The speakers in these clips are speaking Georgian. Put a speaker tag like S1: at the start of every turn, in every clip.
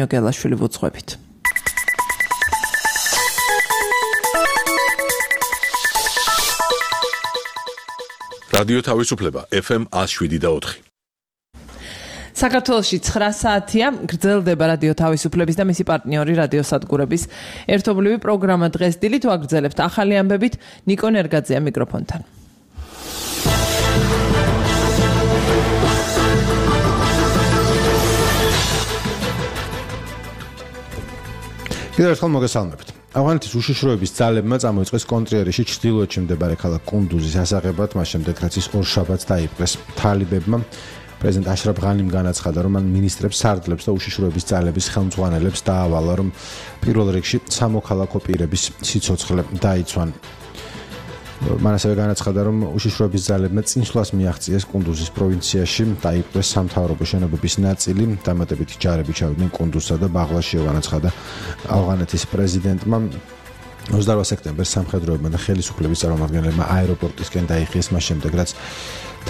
S1: გელაშვილი ვუძღვებით.
S2: რადიო თავისუფლება FM 107.4.
S1: საქართველოში 9 საათია გრძელდება რადიო თავისუფლების და მისი პარტნიორი რადიო სადგურების ერთობლივი პროგრამა. დღეს დილით ვაგრძელებთ ახალი ამბებით. ნიკო ნერგაძეა მიკროფონთან.
S3: კიდევ ერთხელ მოგესალმებით. ავღანეთის უშიშროების ძალებმა წამოიწყეს კონტრიერში ჩრდილოეთში მდებარე ქალაქ კუნდუზის ასაღებად, მას შემდეგ რაც ის ორშაბათს დაიპყრეს თალიბებმა. პრეზიდენტ აშრაფ ღანიმ განაცხადა, რომ მან მინისტრებს, სარდლებს და უშიშროების ძალების ხელმძღვანელებს დაავალა, რომ პირველ რიგში სამოქალაქო პირების სიცოცხლე დაიცვან. მან ასევე განაცხადა, რომ უშიშროების ძალებმა წინსვლას მიაღწიეს კუნდუზის პროვინციაში, დაიპყრეს სამთავრობო შენობების ნაწილი, დამატებითი ჯარები ჩავიდნენ კუნდუზსა და ბაღლაშიო, განაცხადა ავღანეთის პრეზიდენტმა. 28 სექტემბერს სამხედროებმა და ხელისუფლების წარმომადგენლებმა აეროპორტისკენ დაიხიეს, მას შემდეგ რაც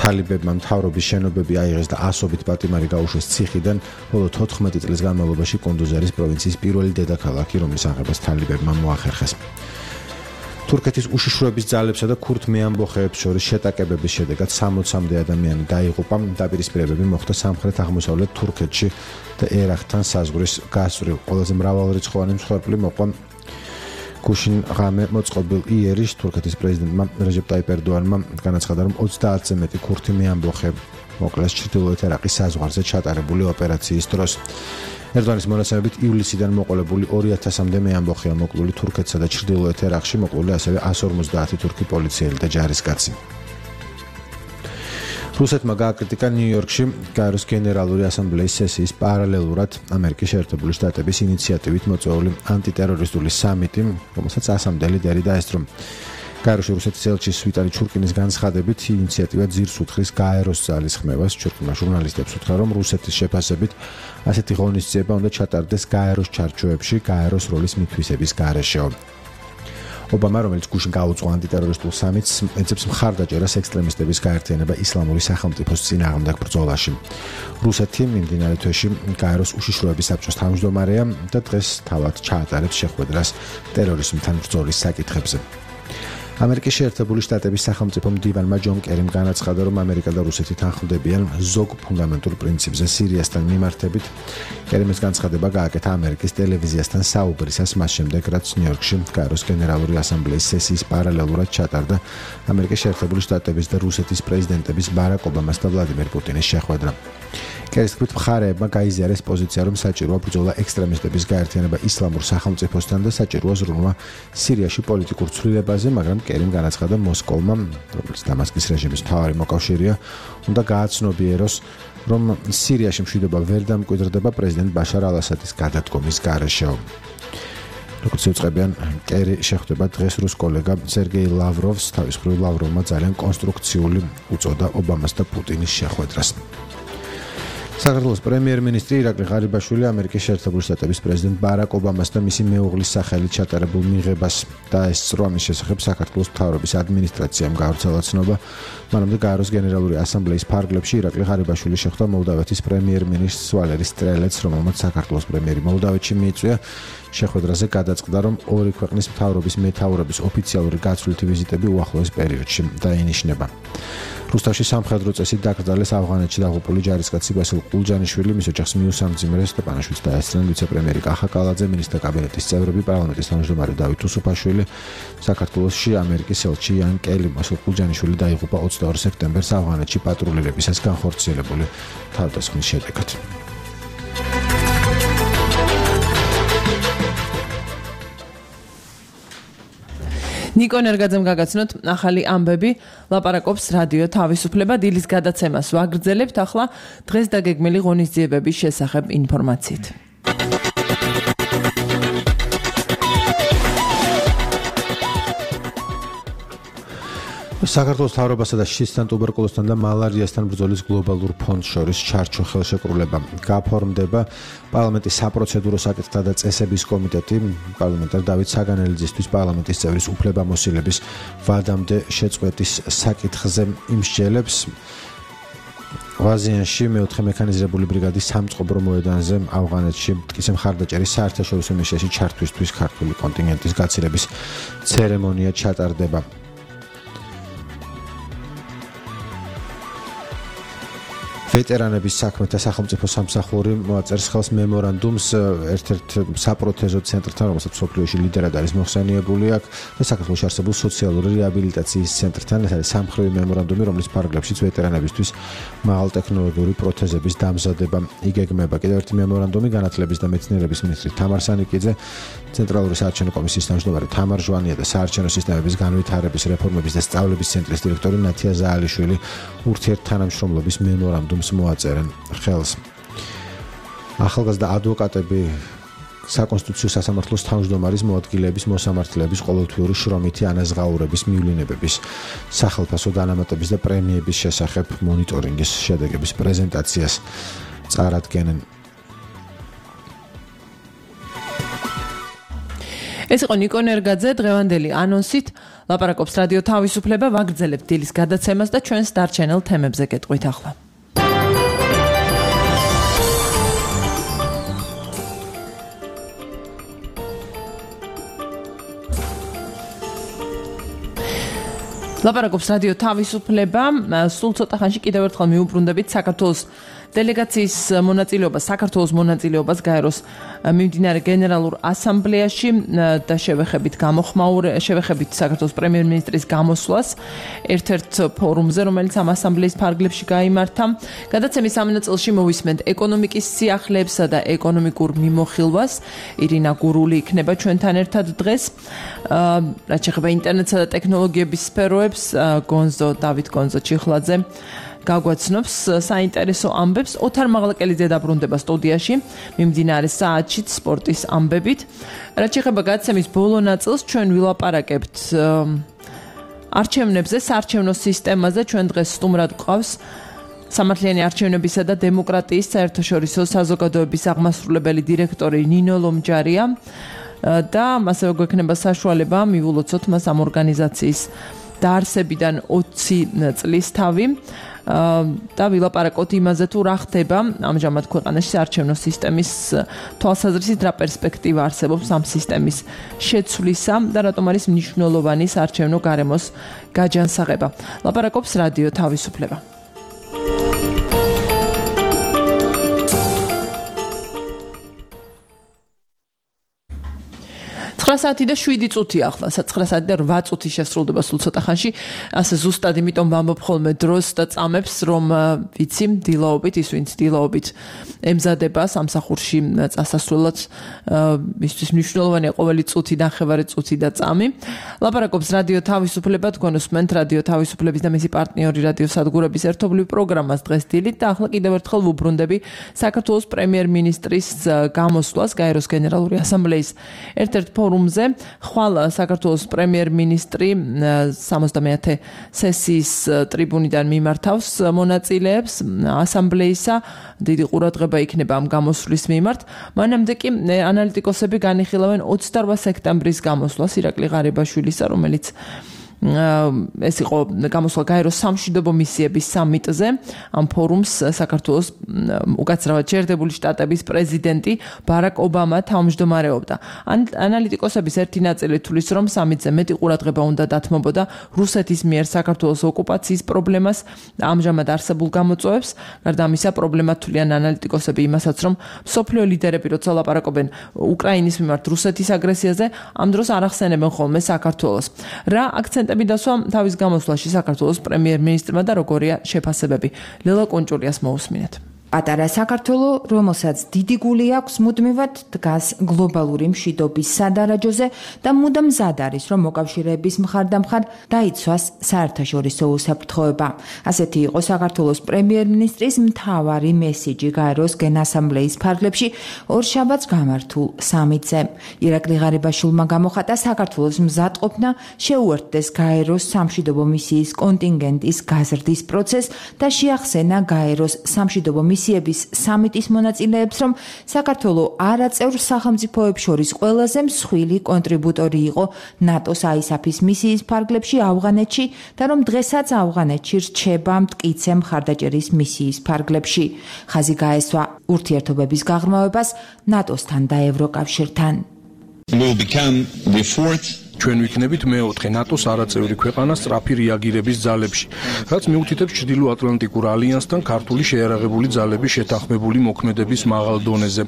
S3: თალიბებმა მთავრობის შენობები აიღეს და ასობით პატიმარი გაუშვეს ციხიდან, ბოლო 14 წლის განმავლობაში კუნდუზი არის პროვინციის პირველი დედაქალაქი, რომლის აღებას თალიბებმა მოახერხეს. თურქეთის უშიშროების ძალებსა და ქურთმე ამბოხეებს შორის შეტაკებების შედეგად 60-მდე ადამიანი დაიღუპა. დაპირისპირებები მოხდა სამხრეთ-აღმოსავლეთ თურქეთში და ერაყთან საზღვრის გასწვრივ. ყველაზე მრავალრიცხოვანი მსხვერპლი მოყვა გუშინ ღამე მოწყობილ იერიშ. თურქეთის პრეზიდენტმა რეჯეპ ტაიპ ერდოანმა განაცხადა, რომ 30-ზე მეტი ქურთმე ამბოხე მოკლეს ჩრდილოეთ ერაყის საზღვარზე ჩატარებული ოპერაციის დროს. ერდოანის მონაცემებით ივლისიდან მოყოლებული 2000-მდე მეამბოხეა მოკლული თურქეთსა და ჩრდილოეთ ერაყში, მოკლული ასევე 150 თურქი პოლიციელი და ჯარისკაცი. რუსეთმა გააკრიტიკა ნიუ-იორკში გაეროს გენერალური ასამბლეის სესიის პარალელურად ამერიკის შეერთებული შტატების ინიციატივით მოწვეული ანტიტერორისტული სამიტი, რომელსაც 100 ლიდერი დაესწრო. გაეროში რუსეთის ელჩის ვიტალი ჩურკინის განცხადებით ინიციატივა ძირს უთხრის გაეროს ძალის ხმევას. ჩურკინმა ჟურნალისტებს უთხრა, რომ რუსეთის შეფასებით ასეთი ღონისძიება უნდა ჩატარდეს გაეროს ჩარჩოებში, გაეროს როლის მითვისების გარეშე. ობამა, რომელიც გუშინ გაუძღვა ანტიტერორისტულ სამიტს, ეძებს მხარდაჭერას ექსტრემისტების გაერთიანება ისლამური სახელმწიფოს წინააღმდეგ ბრძოლაში. რუსეთი მიმდინარე თვეში გაეროს უშიშროების საბჭოს თავმჯდომარეა და დღეს თავად ჩაატარებს შეხვედრას ტერორიზმთან ბრძოლის საკითხებზე. ამერიკის შეერთებული შტატების სახელმწიფო მდივანმა ჯონ კერიმ განაცხადა, რომ ამერიკა და რუსეთი თანხმდებიან ზოგ ფუნდამენტურ პრინციპზე სირიასთან მიმართებით. კერიმის განცხადება გააკეთა ამერიკის ტელევიზიასთან საუბრისას, მას შემდეგ, რაც ნიუ-იორკში გაეროს გენერალური ასამბლეის სესიის პარალელურად ჩატარდა ამერიკის შეერთებული შტატების და რუსეთის პრეზიდენტების ბარაკ ობამას და ვლადიმერ პუტინის შეხვედრა. კერის თქმით, მხარეებმა გაიზიარეს პოზიცია, რომ საჭიროა ბრძოლა ექსტრემისტების გაერთიანება ისლამურ სახელმწიფოსთან და საჭიროა ზრუნვა სირიაში პოლიტიკურ ცვლილებაზე, მაგრამ კერიმ განაცხადა, მოსკოვმა, რომელიც დამასკის რეჟიმის მთავარი მოკავშირეა, უნდა გააცნობიეროს, რომ სირიაში მშვიდობა ვერ დამკვიდრდება პრეზიდენტ ბაშარ ალ-ასადის გადადგომის გარეშე. როგორც უწყებიან, კერი შეხვდება დღეს რუს კოლეგა სერგეი ლავროვს. თავის მხრივ ლავროვმა ძალიან კონსტრუქციული უწოდა ობამას და პუტინის შეხვედრას. საქართველოს პრემიერ-მინისტრი ირაკლი ღარიბაშვილი ამერიკის შეერთებული შტატების პრეზიდენტ ბარაკ ობამას და მისი მეუღლის სახელით ჩატარებულ მიღებას დაესწრო. ამის შესახებ საქართველოს მთავრობის ადმინისტრაციამ გავრცელა ცნობა. მანამდე გაეროს გენერალური ასამბლეის ფარგლებში ირაკლი ღარიბაშვილი შეხვდა მოლდავეთის პრემიერ-მინისტრს ვალერი სტრელეცს, რომელმაც საქართველოს პრემიერი მოლდავეთში მიიწვია. შეხვედრაზე გადაწყდა, რომ ორი ქვეყნის მთავრობის მეთაურების ოფიციალური გაცვლითი ვიზიტები უახლოეს პერიოდში დაინიშნება. რუსთავში სამხედრო წესით დაკრძალეს ავღანეთში დაღუპული ჯარისკაცი ბასილ ყულჯანიშვილი, მის ოჯახს მიუსამძიმრეს სტეპანაშვილს დაესწრნენ ვიცე-პრემიერი კახა კალაძე, მინისტრთა კაბინეტის წევრები, პარლამენტის თავმჯდომარე დავით უსუფაშვილი. საქართველოში ამერიკის ელჩი იან კელი. ბასილ ყულჯანიშვილი დაიღუპა 22 სექტემბერს ავღანეთში პატრულირებისას განხორციელებული თავდასხმის შედეგად.
S1: ნიკო ნერგაძემ გაგაცნოთ ახალი ამბები. ლაპარაკობს რადიო თავისუფლება. დილის გადაცემას ვაგრძელებთ. ახლა დღეს დაგეგმილი ღონისძიებების შესახებ ინფორმაციით.
S3: საქართველოს მთავრობასა და შისთან, ტუბერკულოზთან და მალარიასთან ბრძოლის გლობალურ ფონდს შორის ჩარჩო ხელშეკრულება გაფორმდება. პარლამენტის საპროცედურო საკითხთა და წესების კომიტეტი პარლამენტარ დავით საგანელიძისთვის პარლამენტის წევრის უფლებამოსილების ვადამდე შეწყვეტის საკითხზე იმსჯელებს. ღვაზიანში მეოთხე მექანიზირებული ბრიგადის სამწყობრო მოედანზე ავღანეთში მტკიცე მხარდაჭერის საერთაშორისო მისიაში ჩართვისთვის ქართული კონტინგენტის გაცილების ცერემონია ჩატარდება. ვეტერანების საქმეთა სახელმწიფო სამსახური მოაწერს ხელს მემორანდუმს ერთ-ერთ საპროთეზო ცენტრთან, რომელსაც მსოფლიოში ლიდერად არის მოხსენიებული აქ და საქართველოში არსებულ სოციალური რეაბილიტაციის ცენტრთან. ეს არის სამხრივი მემორანდუმი, რომლის ფარგლებშიც ვეტერანებისთვის მაღალტექნოლოგიური პროთეზების დამზადება იგეგმება. კიდევ ერთი მემორანდუმი განათლების და მეცნიერების მინისტრი თამარ სანიკიძე, ცენტრალური საარჩევნო კომისიის თავმჯდომარე თამარ ჟვანია და საარჩევნო სისტემების განვითარების რეფორმების და სწავლების ცენტრის დირექტორი ნათია ზაალიშვილი ურთიერთთანამშრომლობის მემორანდუმს მოაწერენ ხელს. ახალგაზრდა ადვოკატები საკონსტიტუციო სასამართლოს თავმჯდომარის მოადგილეების მოსამართლეების ყოველთვიური შრომითი ანაზღაურების მივლინებების სახელფასო დანამატების და პრემიების შესახებ მონიტორინგის შედეგების პრეზენტაციას წარადგენენ.
S1: ეს იყო ნიკო ნერგაძე დღევანდელი ანონსით. ლაპარაკობს რადიო თავისუფლება, ვაგრძელებთ დილის გადაცემას და ჩვენს დარჩენილ თემებზე გეტყვით ახლა. ლაპარაკობს რადიო თავისუფლება, სულ ცოტა ხანში კიდევ ერთხელ მიუბრუნდებით საქართველოს დელეგაციის მონაწილეობას, საქართველოს მონაწილეობას გაეროს მიმდინარე გენერალურ ასამბლეაში და შევეხებით საქართველოს პრემიერ-მინისტრის გამოსვლას ერთ-ერთ ფორუმზე, რომელიც ამ ასამბლეის ფარგლებში გაიმართა. გადაცემის ამ ნაწილში მოვისმენთ ეკონომიკის სიახლეებსა და ეკონომიკურ მიმოხილვას. ირინა გურული იქნება ჩვენთან ერთად დღეს. რაც შეეხება ინტერნეტსა და ტექნოლოგიების სფეროებს, დავით გონზო ჩიხლაძე გაგვაცნობს საინტერესო ამბებს. ოთარ მაღლაკელიძე დაბრუნდება სტუდიაში მიმდინარე საათში სპორტის ამბებით. რაც შეეხება გადაცემის ბოლო ნაწილს, ჩვენ ვილაპარაკებთ არჩევნებზე, საარჩევნო სისტემაზე. ჩვენ დღეს სტუმრად გვყავს სამართლიანი არჩევნებისა და დემოკრატიის საერთაშორისო საზოგადოების აღმასრულებელი დირექტორი ნინო ლომჯარია და ასევე გვექნება საშუალება მივულოცოთ მას ამ ორგანიზაციის დაარსებიდან 20 წლის თავი და ვილაპარაკოთ იმაზე თუ რა ხდება ამჟამად ქვეყანაში საარჩევნო სისტემის თვალსაზრისით, რა პერსპექტივა არსებობს ამ სისტემის შეცვლისა და რატომ არის მნიშვნელოვანი საარჩევნო გარემოს გაჯანსაღება. ლაპარაკობს რადიო თავისუფლება. 9 საათი და 7 წუთი ახლა, 9 საათი და 8 წუთი შესრულდება სულ ცოტა ხანში. ასე ზუსტად იმიტომ ვამბობ ხოლმე დროს და წამებს, რომ ვიცი, დილაობით, ის ვინც დილაობით ემზადება სამსახურში წასასვლელად, მისთვის მნიშვნელოვანია ყოველი წუთი, ნახევარი წუთი და წამი. ლაპარაკობს რადიო თავისუფლება, თქვენ უსმენთ რადიო თავისუფლების და მისი პარტნიორი რადიო სადგურების ერთობლივ პროგრამას დღეს დილით და ახლა კიდევ ერთხელ ვუბრუნდები საქართველოს პრემიერ-მინისტრის გამოსვლას გაეროს გენერალური ასამბლეის ერთ-ერთ ფორუმზე. ხვალ საქართველოს პრემიერ-მინისტრი 70-ე სესიის ტრიბუნიდან მიმართავს მონაწილეებს ასამბლეისა. დიდი ყურადღება იქნება ამ გამოსვლის მიმართ. მანამდე კი ანალიტიკოსები განიხილავენ 28 სექტემბრის გამოსვლას ირაკლი ღარიბაშვილისა, რომელიც ეს იყო გამოსვლა გაეროს სამშვიდობო მისიების სამიტზე. ამ ფორუმს საქართველოს უკაცრავად შეერთებული შტატების პრეზიდენტი ბარაკ ობამა თავმჯდომარეობდა. ანალიტიკოსების ერთი ნაწილი თვლის, რომ სამიტზე მეტი ყურადღება უნდა დათმობოდა რუსეთის მიერ საქართველოს ოკუპაციის პრობლემას და ამჟამად არსებულ გამოწვევებს. გარდა ამისა, პრობლემად თვლიან ანალიტიკოსები იმასაც, რომ მსოფლიო ლიდერები როცა ლაპარაკობენ უკრაინის მიმართ რუსეთის აგრესიაზე, ამ დროს არ ახსენებენ ხოლმე საქართველოს. რა აქცენტები დასვა თავის გამოსვლაში საქართველოს პრემიერ-მინისტრმა და როგორია შეფასებები. ლელა კონჭულიას მოусმინეთ.
S4: პატარა საქართველო, რომელსაც დიდი გული აქვს, მუდმივად დგას გლობალური მშვიდობის სადარაჯოზე და მუდამ მზად არის, რომ მოკავშირეების მხარდამხარ დაიცვას საერთაშორისო უსაფრთხოება. ასეთი იყო საქართველოს პრემიერ-მინისტრის მთავარი მესიჯი გაეროს გენასამბლეის ფარგლებში ორშაბათს გამართულ სამიტზე. ირაკლი ღარიბაშვილმა გამოხატა საქართველოს მზადყოფნა შეუერთდეს გაეროს სამშვიდობო მისიის კონტინგენტის გაზრდის პროცესს და შეახსენა გაეროს სამშვიდობო მისიების სამიტის მონაწილეებს, რომ საქართველო არაწევრ სახელმწიფოებს შორის ყველაზე მსხვილი კონტრიბუტორი იყო ნატოს ISAF-ის მისიის ფარგლებში ავღანეთში და რომ დღესაც ავღანეთში რჩება მტკიცე მხარდაჭერის მისიის ფარგლებში. ხაზი გაესვა ურთიერთობების გაღრმავებას ნატოსთან და ევროკავშირთან.
S5: ჩვენ ვიქნებით მეოთხე ნატოს არაწევრი ქვეყანა სწრაფი რეაგირების ძალებში, რაც მიუთითებს ჩრდილო-ატლანტიკურ ალიანსთან ქართული შეიარაღებული ძალების შეთანხმებული მოქმედების მაღალ დონეზე.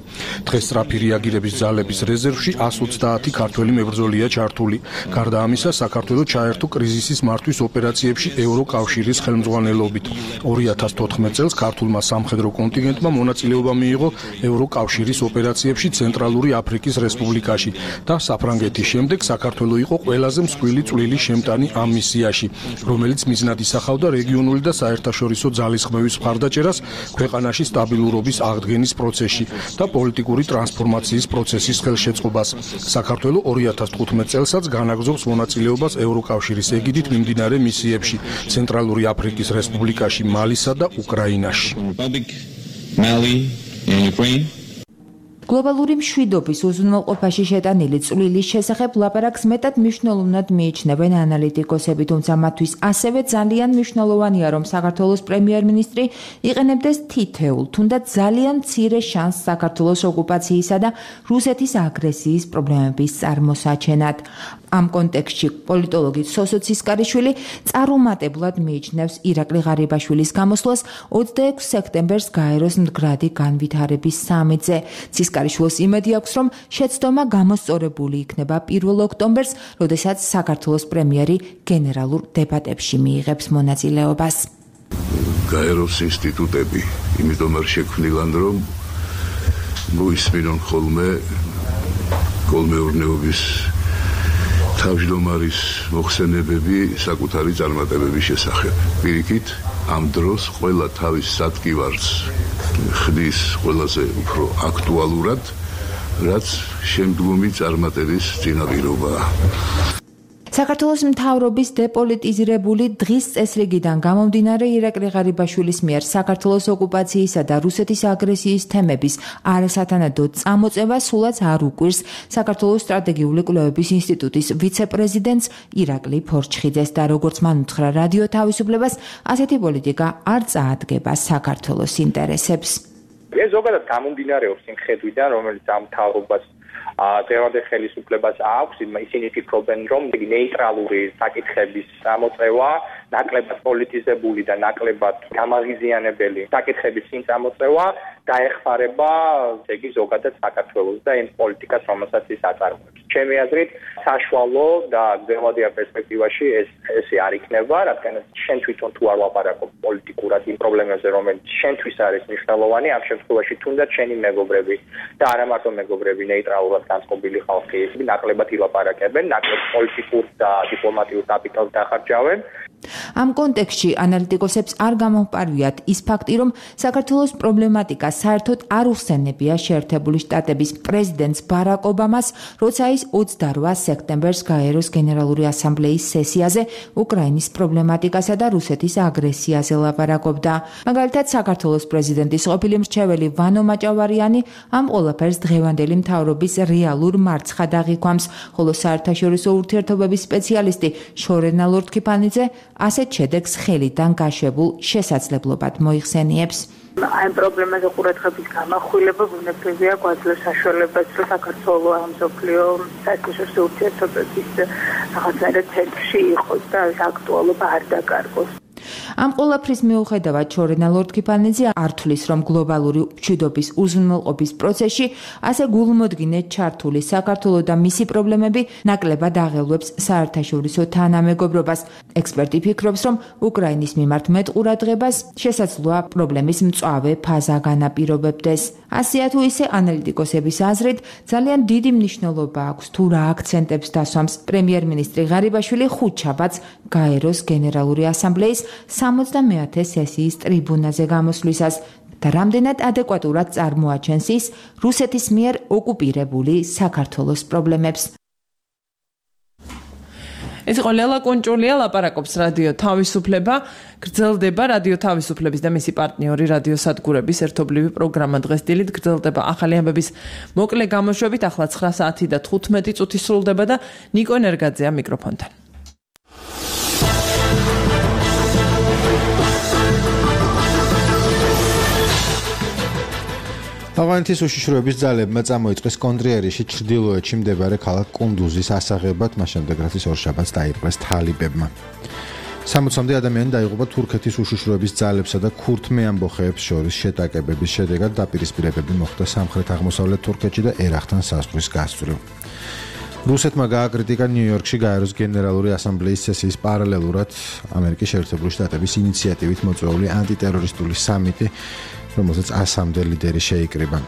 S5: დღეს სწრაფი რეაგირების ძალების რეზერვში 130 ქართველი მებრძოლია ჩართული. გარდა ამისა, საქართველო ჩაერთო კრიზისის მართვის ოპერაციებში ევროკავშირის ხელმძღვანელობით. 2014 წელს ქართულმა სამხედრო კონტინგენტმა მონაწილეობა მიიღო ევროკავშირის ოპერაციებში ცენტრალური აფრიკის რესპუბლიკაში და საფრანგეთის შემდეგ საქართველო იყო ყველაზე მსხვილი წვლილი შემტანი ამ მისიაში, რომელიც მიზნად ისახავდა რეგიონული და საერთაშორისო ძალისხმევის მხარდაჭერას ქვეყანაში სტაბილურობის აღდგენის პროცესში და პოლიტიკური ტრანსფორმაციის პროცესის ხელშეწყობას. საქართველო 2015 წელსაც განაგრძობს მონაწილეობას ევროკავშირის ეგიდით მიმდინარე მისიებში ცენტრალური აფრიკის რესპუბლიკაში, მალისა და უკრაინაში.
S4: გლობალური მშვიდობის უზრუნველყოფაში შეტანილი წვლილის შესახებ ლაპარაკს მეტად მნიშვნელოვნად მიიჩნევენ ანალიტიკოსები, თუმცა მათთვის ასევე ძალიან მნიშვნელოვანია, რომ საქართველოს პრემიერ-მინისტრი იყენებდეს თითეულ, თუნდაც ძალიან მცირე შანსს საქართველოს ოკუპაციისა და რუსეთის აგრესიის პრობლემების წარმოსაჩენად. ამ კონტექსტში პოლიტოლოგი სოსო ცისკარიშვილი წარუმატებლად მიიჩნევს ირაკლი ღარიბაშვილის გამოსვლას 26 სექტემბერს გაეროს მდგრადი განვითარების სამიტზე. ცისკარიშვილს იმედი აქვს, რომ შეცდომა გამოსწორებული იქნება 1 ოქტომბერს, როდესაც საქართველოს პრემიერი გენერალურ დებატებში მიიღებს მონაწილეობას.
S6: გაეროს ინსტიტუტები იმიტომ არ შექმნილან, რომ მოისმინონ ხოლმე კოლმეურნეობის თავმჯდომარის მოხსენებები საკუთარი წარმატებების შესახებ. პირიქით, ამ დროს ყველა თავის სადგივარს ხდის ყველაზე უფრო აქტუალურად, რაც შემდგომი წარმატების წინაპირობაა.
S4: საქართველოს მთავრობის დეპოლიტიზირებული დღის წესრიგიდან გამომდინარე ირაკლი ღარიბაშვილის მიერ საქართველოს ოკუპაციისა და რუსეთის აგრესიის თემების არასათანადო წამოწევა სულაც არ უკვირს საქართველოს სტრატეგიული კვლევების ინსტიტუტის ვიცე-პრეზიდენტს ირაკლი ფორჩხიძეს და როგორც მან უთხრა რადიო თავისუფლებას, ასეთი პოლიტიკა არ წაადგება საქართველოს ინტერესებს.
S7: ეს ზოგადად გამომდინარეობს იმ ხედვიდან, რომელიც ამ მთავრობას დღევანდელ ხელისუფლებას აქვს, ისინი ფიქრობენ, რომ ნეიტრალური საკითხების წამოწევა, ნაკლებად პოლიტიზებული და ნაკლებად გამაღიზიანებელი საკითხების წინ წამოწევა დაეხმარება იგი ზოგადად საქართველოს და იმ პოლიტიკას, რომელსაც ის აწარმოებს. ჩემი აზრით, საშუალო და გრძელვადიან პერსპექტივაში ესე არ იქნება, რადგან შენ თვითონ თუ არ ლაპარაკობ პოლიტიკურად იმ პრობლემებზე, რომელიც შენთვის არის მნიშვნელოვანი, ამ შემთხვევაში თუნდაც შენი მეგობრები და არა მარტო მეგობრები, ნეიტრალურად განწყობილი ხალხი ნაკლებად ილაპარაკებენ, ნაკლებ პოლიტიკურ და დიპლომატიურ კაპიტალს დახარჯავენ.
S4: ამ კონტექსტში ანალიტიკოსებს არ გამომპარვიათ ის ფაქტი, რომ საქართველოს პრობლემატიკა საერთოდ არ უხსენებია შეერთებული შტატების პრეზიდენტს ბარაკ ობამას, როცა ის 28 სექტემბერს გაეროს გენერალური ასამბლეის სესიაზე უკრაინის პრობლემატიკასა და რუსეთის აგრესიაზე ლაპარაკობდა. მაგალითად, საქართველოს პრეზიდენტის ყოფილი მრჩეველი ვანო მაჭავარიანი ამ ყველაფერს დღევანდელი მთავრობის რეალურ მარცხად აღიქვამს, ხოლო საერთაშორისო ურთიერთობების სპეციალისტი შორენა ლორთქიფანიძე ასეთ შედეგს ხელიდან გაშვებულ შესაძლებლობად მოიხსენიებს.
S8: ამ პრობლემაზე ყურადღების გამახვილება ბუნებრივია გვაძლევს საშუალებას, რომ საქართველო ამ მსოფლიო საერთაშორისო ურთიერთობების რაღაცნაირად ცენტრში იყოს და აქტუალობა არ დაკარგოს.
S4: ამ ყველაფრის მიუხედავად შორენა ლორთქიფანიძე არ თვლის, რომ გლობალური მშვიდობის უზრუნველყოფის პროცესში ასე გულმოდგინედ ჩართული საქართველო და მისი პრობლემები ნაკლებად აღელვებს საერთაშორისო თანამეგობრობას. ექსპერტი ფიქრობს, რომ უკრაინის მიმართ მეტ ყურადღებას შესაძლოა პრობლემის მწვავე ფაზა განაპირობებდეს. ასეა თუ ისე ანალიტიკოსების აზრით, ძალიან დიდი მნიშვნელობა აქვს თუ რა აქცენტებს დასვამს პრემიერ-მინისტრი ღარიბაშვილი ხუთშაბათს გაეროს გენერალური ასამბლეის 70-ე სესიის ტრიბუნაზე გამოსვლისას და რამდენად ადეკვატურად წარმოაჩენს ის რუსეთის მიერ ოკუპირებული საქართველოს პრობლემებს.
S1: ეს იყო ლელა კონჭულია ლაპარაკობს რადიო თავისუფლება, გრძელდება რადიო თავისუფლების და მისი პარტნიორი რადიო სადგურების ერთობლივი პროგრამა დღეს დილით გრძელდება ახალი ამბების მოკლე გამოშვებით, ახლა 9 საათი და 15 წუთი სრულდება და ნიკო ენერგაძეა მიკროფონთან.
S3: ავღანეთის უშიშროების ძალებმა წამოიწყეს კონტრიერში ჩრდილოეთში მდებარე ქალაქ კუნდუზის ასაღებად, მას შემდეგ რაც ორშაბათს დაიპყრეს თალიბებმა. 60-მდე ადამიანი დაიღუპა თურქეთის უშიშროების ძალებსა და ქურთმე ამბოხეებს შორის შეტაკებების შედეგად დაპირისპირებები მოხდა სამხრეთ-აღმოსავლეთ თურქეთში და ერახთან საზღვრის გასწვრივ. რუსეთმა გააკრიტიკა ნიუ-იორკში გაეროს გენერალური ასამბლეის სესიის პარალელურად ამერიკის შეერთებული შტატების ინიციატივით მოწვეული ანტიტერორისტული სამიტი, რომელსაც 100-მდე ლიდერი შეიკრიბა.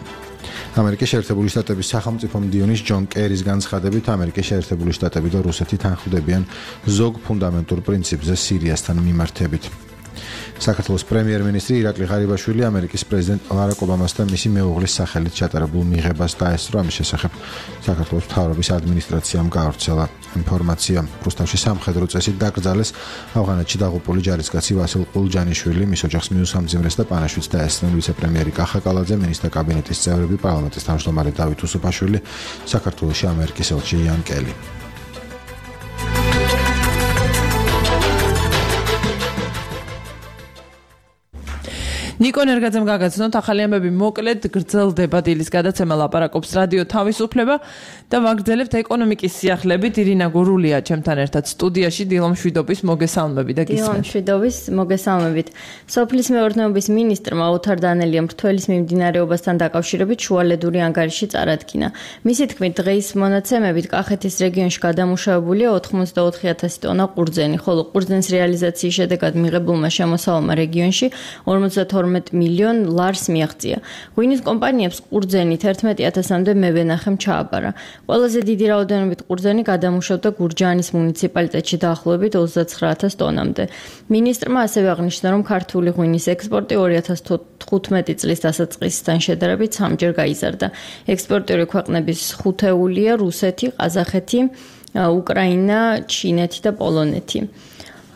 S3: ამერიკის შეერთებული შტატების სახელმწიფო მდივნის ჯონ კერის განცხადებით, ამერიკის შეერთებული შტატები და რუსეთი თანხმდებიან ზოგ ფუნდამენტურ პრინციპზე სირიასთან მიმართებით. საქართველოს პრემიერ-მინისტრი ირაკლი ღარიბაშვილი ამერიკის პრეზიდენტ ბარაკ ობამასთან მისი მეუღლის სახელით ჩატარებულ მიღებას დაესწრო. ამის შესახებ საქართველოს მთავრობის ადმინისტრაციამ გაავრცელა ინფორმაცია. რუსთავში სამხედრო წესით დაკრძალეს ავღანეთში დაღუპული ჯარისკაცი ვასილ ყულჯანიშვილი, მის ოჯახს მიუსამძიმრეს და პანაშვიდს დაესწრნენ ვიცე-პრემიერი კახა კალაძე, მინისტრთა კაბინეტის წევრები, პარლამენტის თავმჯდომარე დავით უსუფაშვილი, საქართველოში ამერიკის ელჩი იან კელი.
S1: ნიკო ენერგაძემ გაგაცნოთ ახალი ამბები მოკლედ გრძელდება დილის გადაცემა ლაპარაკობს რადიო თავისუფლება და ვაგრძელებთ ეკონომიკის სიახლებით. ირინა გურულია ჩემთან ერთად სტუდიაში. დილომ შვიდობის მოგესალმებით და გისმენთ.
S9: დილომ შვიდობის მოგესალმებით. სოფლის მეურნეობის მინისტრმა ოთარ დანელიამ რთველის მიმდინარეობასთან დაკავშირებით შუალედური ანგარიში წარადგინა. მისი თქმით, დღეის მონაცემებით კახეთის რეგიონში გადამუშავებულია 84,000 ტონა ყურძენი, ხოლო ყურძენის რეალიზაციის შედეგად მიღებულმა შემოსავალმა რეგიონში 52 მილიონ ლარს მიაღწია. ღვინის კომპანიებს ყურძენი 11,000-მდე მევენახემ ჩააბარა. ყველაზე დიდი რაოდენობით ყურძენი გადამუშავდა გურჯაანის მუნიციპალიტეტში დაახლოებით 29,000 ტონამდე. მინისტრმა ასევე აღნიშნა, რომ ქართული ღვინის ექსპორტი 2015 წლის დასაწყისთან შედარებით 3-ჯერ გაიზარდა. ექსპორტიორი ქვეყნების ხუთეულია რუსეთი, ყაზახეთი, უკრაინა, ჩინეთი და პოლონეთი.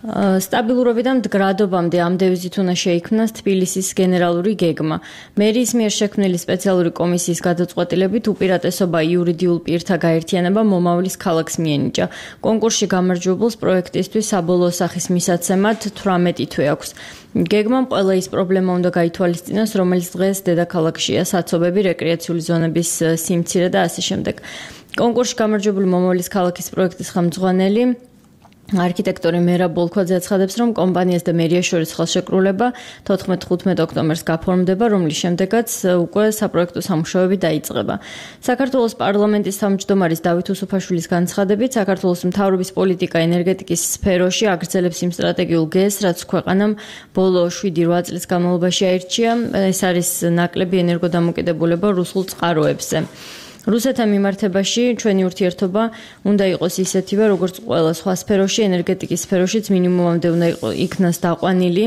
S9: სტაბილურობიდან მდგრადობამდე ამ დევიზით უნდა შეიქმნას თბილისის გენერალური გეგმა. მერიის მიერ შექმნილი სპეციალური კომისიის გადაწყვეტილებით უპირატესობა იურიდიულ პირთა გაერთიანება მომავლის ქალაქს მიენიჭა. კონკურსში გამარჯვებულს პროექტისთვის საბოლოო სახის მისაცემად 18 თვე აქვს. გეგმამ ყველა ის პრობლემა უნდა გაითვალისწინოს, რომელიც დღეს დედაქალაქშია: საცობები, რეკრეაციული ზონების სიმცირე და ასე შემდეგ. კონკურსში გამარჯვებული მომავლის ქალაქის პროექტის ხელმძღვანელი არქიტექტორი მერაბ ბოლქვაძე აცხადებს, რომ კომპანიას და მერიას შორის ხელშეკრულება 14-15 ოქტომბერს გაფორმდება, რომლის შემდეგაც უკვე საპროექტო სამუშაოები დაიწყება. საქართველოს პარლამენტის თავმჯდომარის დავით უსუფაშვილის განცხადებით, საქართველოს მთავრობის პოლიტიკა ენერგეტიკის სფეროში აგრძელებს იმ სტრატეგიულ გეზს, რაც ქვეყანამ ბოლო 7-8 წლის განმავლობაში აირჩია. ეს არის ნაკლები ენერგოდამოკიდებულება რუსულ წყაროებზე. რუსეთთან მიმართებაში ჩვენი ურთიერთობა უნდა იყოს ისეთივე, როგორც ყველა სხვა სფეროში, ენერგეტიკის სფეროშიც მინიმუმამდე უნდა იქნას დაყვანილი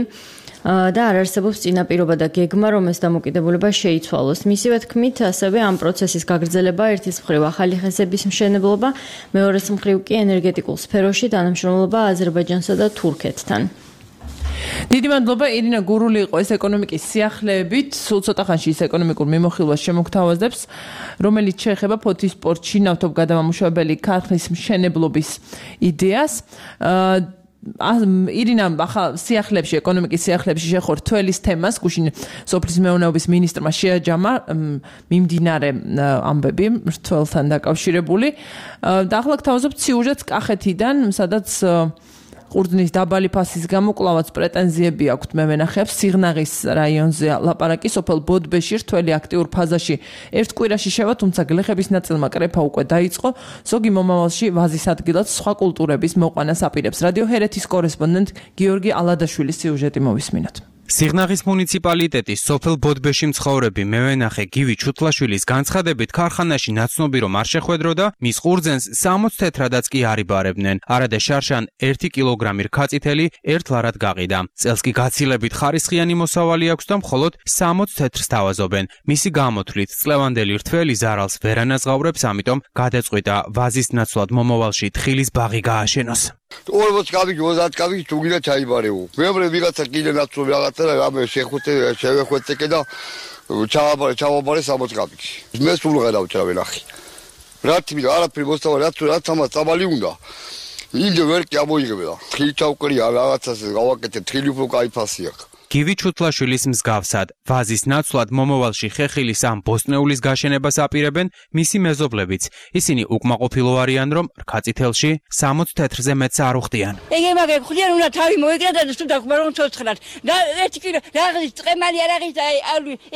S9: და არ არსებობს წინაპირობა და გეგმა, რომ ეს დამოკიდებულება შეიცვალოს. მისივე თქმით, ასევე ამ პროცესის გაგრძელება ერთის მხრივ ახალი ხესების მშენებლობა, მეორეს მხრივ კი ენერგეტიკულ სფეროში თანამშრომლობა აზერბაიჯანსა და თურქეთთან.
S1: დიდი მადლობა ირინა გურული იყო ეს ეკონომიკის სიახლეებით. სულ ცოტა ხანში ის ეკონომიკურ მიმოხილვას შემოგთავაზებს, რომელიც შეეხება ფოთის პორტში ნავთობ გადამამუშავებელი ქარხნის მშენებლობის იდეას. ირინა ახალ სიახლეებში, ეკონომიკის სიახლეებში შეხორ თველის თემას, გუშინ სოფლის მეურნეობის მინისტრმა შეაჯამა მიმდინარე ამბები თველთან დაკავშირებული. და ახლა გთავაზობთ სიუჟეტს კახეთიდან, სადაც ყურძნის დაბალი ფასის გამო კლავაც პრეტენზიები აქვთ მევენახეებს. სიღნაღის რაიონზე ლაპარაკი სოფელ ბოდბეში რთველი აქტიურ ფაზაში ერთ კვირაში შევა, თუმცა გლეხების ნაწილმა კრეფა უკვე დაიწყო. ზოგი მომავალში ვაზის ადგილად სხვა კულტურების მოყვანას აპირებს. რადიო ჰერეთის კორესპონდენტ გიორგი ალადაშვილის სიუჟეტი მოვისმინოთ.
S10: სიღნაღის მუნიციპალიტეტის სოფელ ბოდბეში მცხოვრები მევენახე გივი ჩუთლაშვილის განცხადებით, ქარხანაში ნაცნობი რომ არ შეხვედროდა, მის ყურძენს 60 თეთრადაც კი არ იბარებდნენ. არადა შარშან 1 კილოგრამი რქაწითელი ერთ ლარად გაყიდა. წელს კი გაცილებით ხარისხიანი მოსავალი აქვს და მხოლოდ 60 თეთრს თავაზობენ. მისი გამოთვლით, წლევანდელი რთველი ზარალს ვერ ანაზღაურებს, ამიტომ გადაწყვიტა ვაზის ნაცვლად მომავალში თხილის ბაღი გააშენოს.
S11: 40 კაბიკი 30 კაბიკი თუ გინდა ჩაიბარეო. მეორე ვიღაცა კიდე ნაცნობი რაღაცა და ამე შევეხვეწე და ჩავაბარე 60 კაბიკი. მე სულ ვღერავ ჩავენახი. რათი არაფერი მოსწავა რაც ამას წამალი უნდა. იმდე ვერ კი ამოიღებდა. ხილი ჩავკრია რაღაცას გავაკეთე თილი უფრო კაი ფასი აქვს.
S10: გივი ჩუთლაშვილის მსგავსად, ვაზის ნაცვლად მომავალში ხეხილის ამ ბოსტნეულის გაშენებას აპირებენ მისი მეზობლებიც. ისინი უკმაყოფილო არიან, რომ რქაწითელში 60 თეთრზე მეტს არ უხდიან.
S12: ეგ მაგერ ხდიან, უნდა თავი მოეკრა და თუ დაგმარ რომ ცოცხლად. და ერთი კი რაღაც წემალი არ არის, აი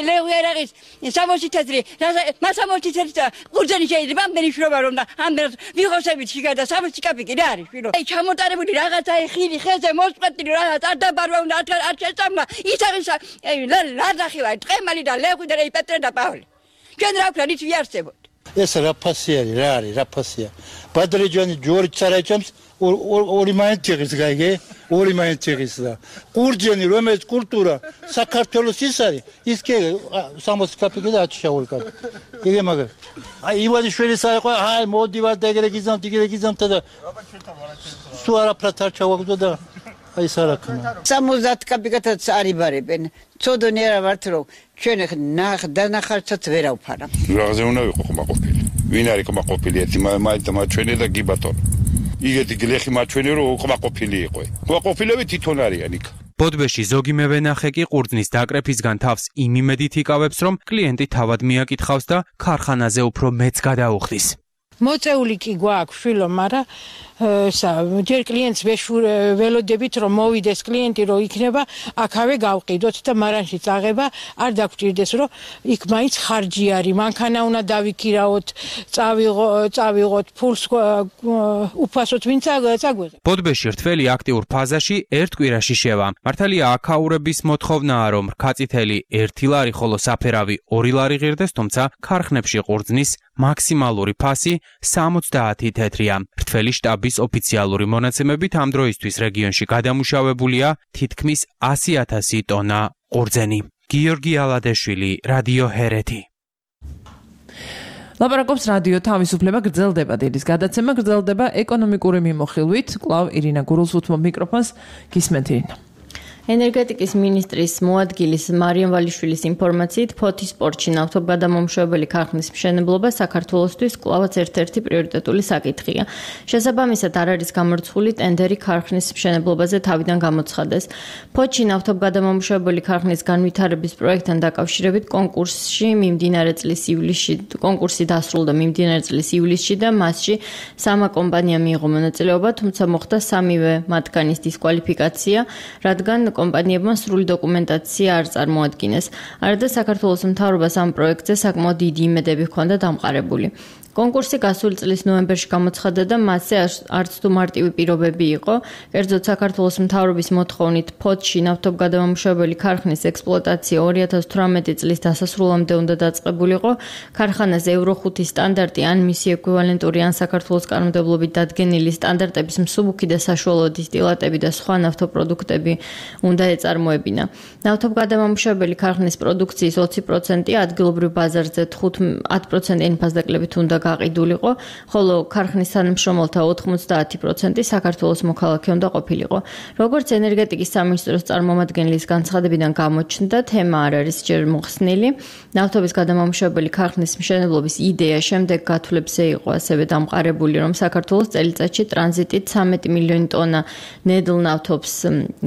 S12: ლეღვი არ არის, 60 თეთრი. მას 60 თეთრი და ყურძენი შეიძლება ამდენი შრომა რომ და ამდენ ვიღოსებით შეგა და 60 კაპიკი რა არის, φίλო. აი ჩამოტარებული რაღაცა ხილი ხეზე მოსწყვეტილი რაღაც არ დაბარვა უნდა არ შეწამლა. ის არის ლადახი ვარ, ტყემალი და ლეღვი და პეტრე და პავლე. ჩვენ რა ვქნა, ის ვიარსებოთ.
S13: ეს რა ფასი არის, რა არის, რა ფასია. ბადრეჯანი ჯორი წარაჭამს ორი მაინციღის გაიგე, ორი მაინციღის და ყურძენი რომელიც კულტურა საქართველოს ის არის, ის კი 60 კაპიკი და აჩშაული კაპი. იგე მაგარ. აი ივანიშვილის აიყო, აი მოდივარ და ეგრე გიზამთ და სუ არაფრად არ ჩავაგდო და აი სარაკნა
S14: 60 კაპიკათაც არიბარებენ ცოდონი არა ვართ რომ ჩვენ დანახარცაც ვერ ავფარა
S6: რაღაცე უნდა ვიყო ხმაყოფილი ვინ არის ხმაყოფილი ერთი მაჩვენე და გიბატონ იგეთი გლეხი მაჩვენე რომ ხმაყოფილი იყო ხმაყოფილები თვითონ არიან იქ
S10: ბოდბეში ზოგი მევენახე კი ყურძნის დაკრეფისგან თავს იმ იმედით იკავებს რომ კლიენტი თავად მიაკითხავს და ქარხანაზე უფრო მეც გადაუხდის
S15: მოწეული კი გვაქვს შვილო, მაგრამ ჯერ კლიენტს ველოდებით რომ მოვიდეს კლიენტი რომ იქნება, აქავე გავყიდოთ და მარანში წაღება არ დაგჭირდეს რომ იქ მაინც ხარჯი არის, მანქანა უნდა დავიქირაოთ, წავიღოთ ფულს უფასოდ ვინ წაგვეღებ.
S10: ბოდბეში რთველი აქტიურ ფაზაში ერთ კვირაში შევა. მართალია აქაურების მოთხოვნაა რომ რქაწითელი 1 ლარი, ხოლო საფერავი 2 ლარი ღირდეს, თუმცა ქარხნებში ყურძნის მაქსიმალური ფასი 70 თეთრია. რთველი შტაბის ოფიციალური მონაცემებით ამ დროისთვის რეგიონში გადამუშავებულია თითქმის 100,000 ტონა ყურძენი. გიორგი ალადეშვილი, რადიო ჰერეთი.
S1: ლაპარაკობს რადიო თავისუფლება გრძელდება დილის გადაცემა გრძელდება ეკონომიკური მიმოხილვით. კვლავ ირინა გურულსუთმო მიკროფონს გისმენთ ირინა.
S9: ენერგეტიკის ministris მოადგილის მარიამ ვალიშვილის ინფორმაციით ფოთის პორტში ნავთობგადამამუშავებელი ქარხნის მშენებლობა საქართველოსთვის კვლავაც ერთ-ერთი პრიორიტეტული საკითხია. შესაბამისად არ არის გამორჩეული ტენდერი ქარხნის მშენებლობაზე თავიდან გამოცხადეს. ფოთში ნავთობგადამამუშავებელი ქარხნის განვითარების პროექტთან დაკავშირებით კონკურსი დასრულდა მიმდინარე წლის ივლისში და მასში 3 კომპანია მიიღო მონაწილეობა, თუმცა მოხდა 3-ვე მათგანის დისკვალიფიკაცია, რადგან კომპანიებმა სრული დოკუმენტაცია არ წარმოადგინეს. არადა საქართველოს მთავრობას ამ პროექტზე საკმაოდ დიდი იმედები ჰქონდა დამყარებული. კონკურსი გასული წლის ნოემბერში გამოცხადდა და მასზე არც თუ მარტივი პირობები იყო. კერძოდ საქართველოს მთავრობის მოთხოვნით ფოთში ნავთობგადამამუშავებელი ქარხნის ექსპლუატაცია 2018 წლის დასასრულამდე უნდა დაწყებულიყო. ქარხანაზე Euro 5 სტანდარტი ან მისი ეკვივალენტური ან საქართველოს კანონმდებლობით დადგენილი სტანდარტების მსუბუქი და საშუალო დისტილატები და სხვა ნავთობპროდუქტები უნდა ეწარმოებინა. ნავთობგადამამუშავებელი ქარხნის პროდუქციის 20% ადგილობრივ ბაზარზე 10%-იანი ფასდაკლებით უნდა გაყიდულიყო, ხოლო ქარხნის თანამშრომელთა 90% საქართველოს მოქალაქე უნდა ყოფილიყო. როგორც ენერგეტიკის სამინისტროს წარმომადგენლის განცხადებიდან გამოჩნდა, თემა არ არის ჯერ მოხსნილი. ნავთობის გადამამუშავებელი ქარხნის მშენებლობის იდეა შემდეგ გათვლებზე იყო ასევე დამყარებული, რომ საქართველოს წელიწადში ტრანზიტით 13 მილიონი ტონა ნედლ ნავთობს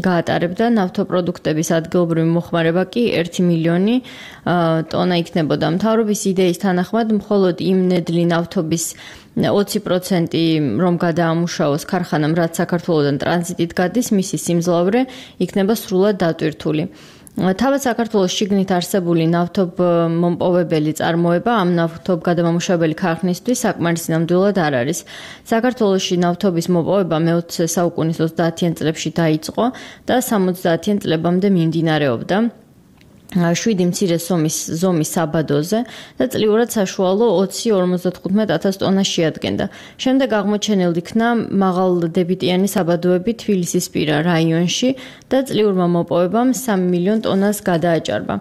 S9: გაატარებდა, ნავთობპროდუქტების ადგილობრივი მოხმარება კი 1 მილიონი ტონა იქნებოდა. მთავრობის იდეის თანახმად მხოლოდ იმ ნედლი ნავთობის 20% რომ გადაამუშავოს ქარხანამ, რაც საქართველოდან ტრანზიტით გადის, მისი სიმძლავრე იქნება სრულად დატვირთული. თავად საქართველოს შიგნით არსებული ნავთობმომპოვებელი წარმოება ამ ნავთობგადამამუშავებელი ქარხნისთვის საკმარისი ნამდვილად არ არის. საქართველოში ნავთობის მოპოვება მე-20 საუკუნის 30-იან წლებში დაიწყო და 70-იან წლებამდე მიმდინარეობდა. 7 მცირე ზომის საბადოზე და წლიურად საშუალო 20-55,000 ტონას შეადგენდა. შემდეგ აღმოჩენილ იქნა მაღალდებიტიანი საბადოები თბილისისპირა რაიონში და წლიურმა მოპოვებამ 3 მილიონ ტონას გადააჭარბა.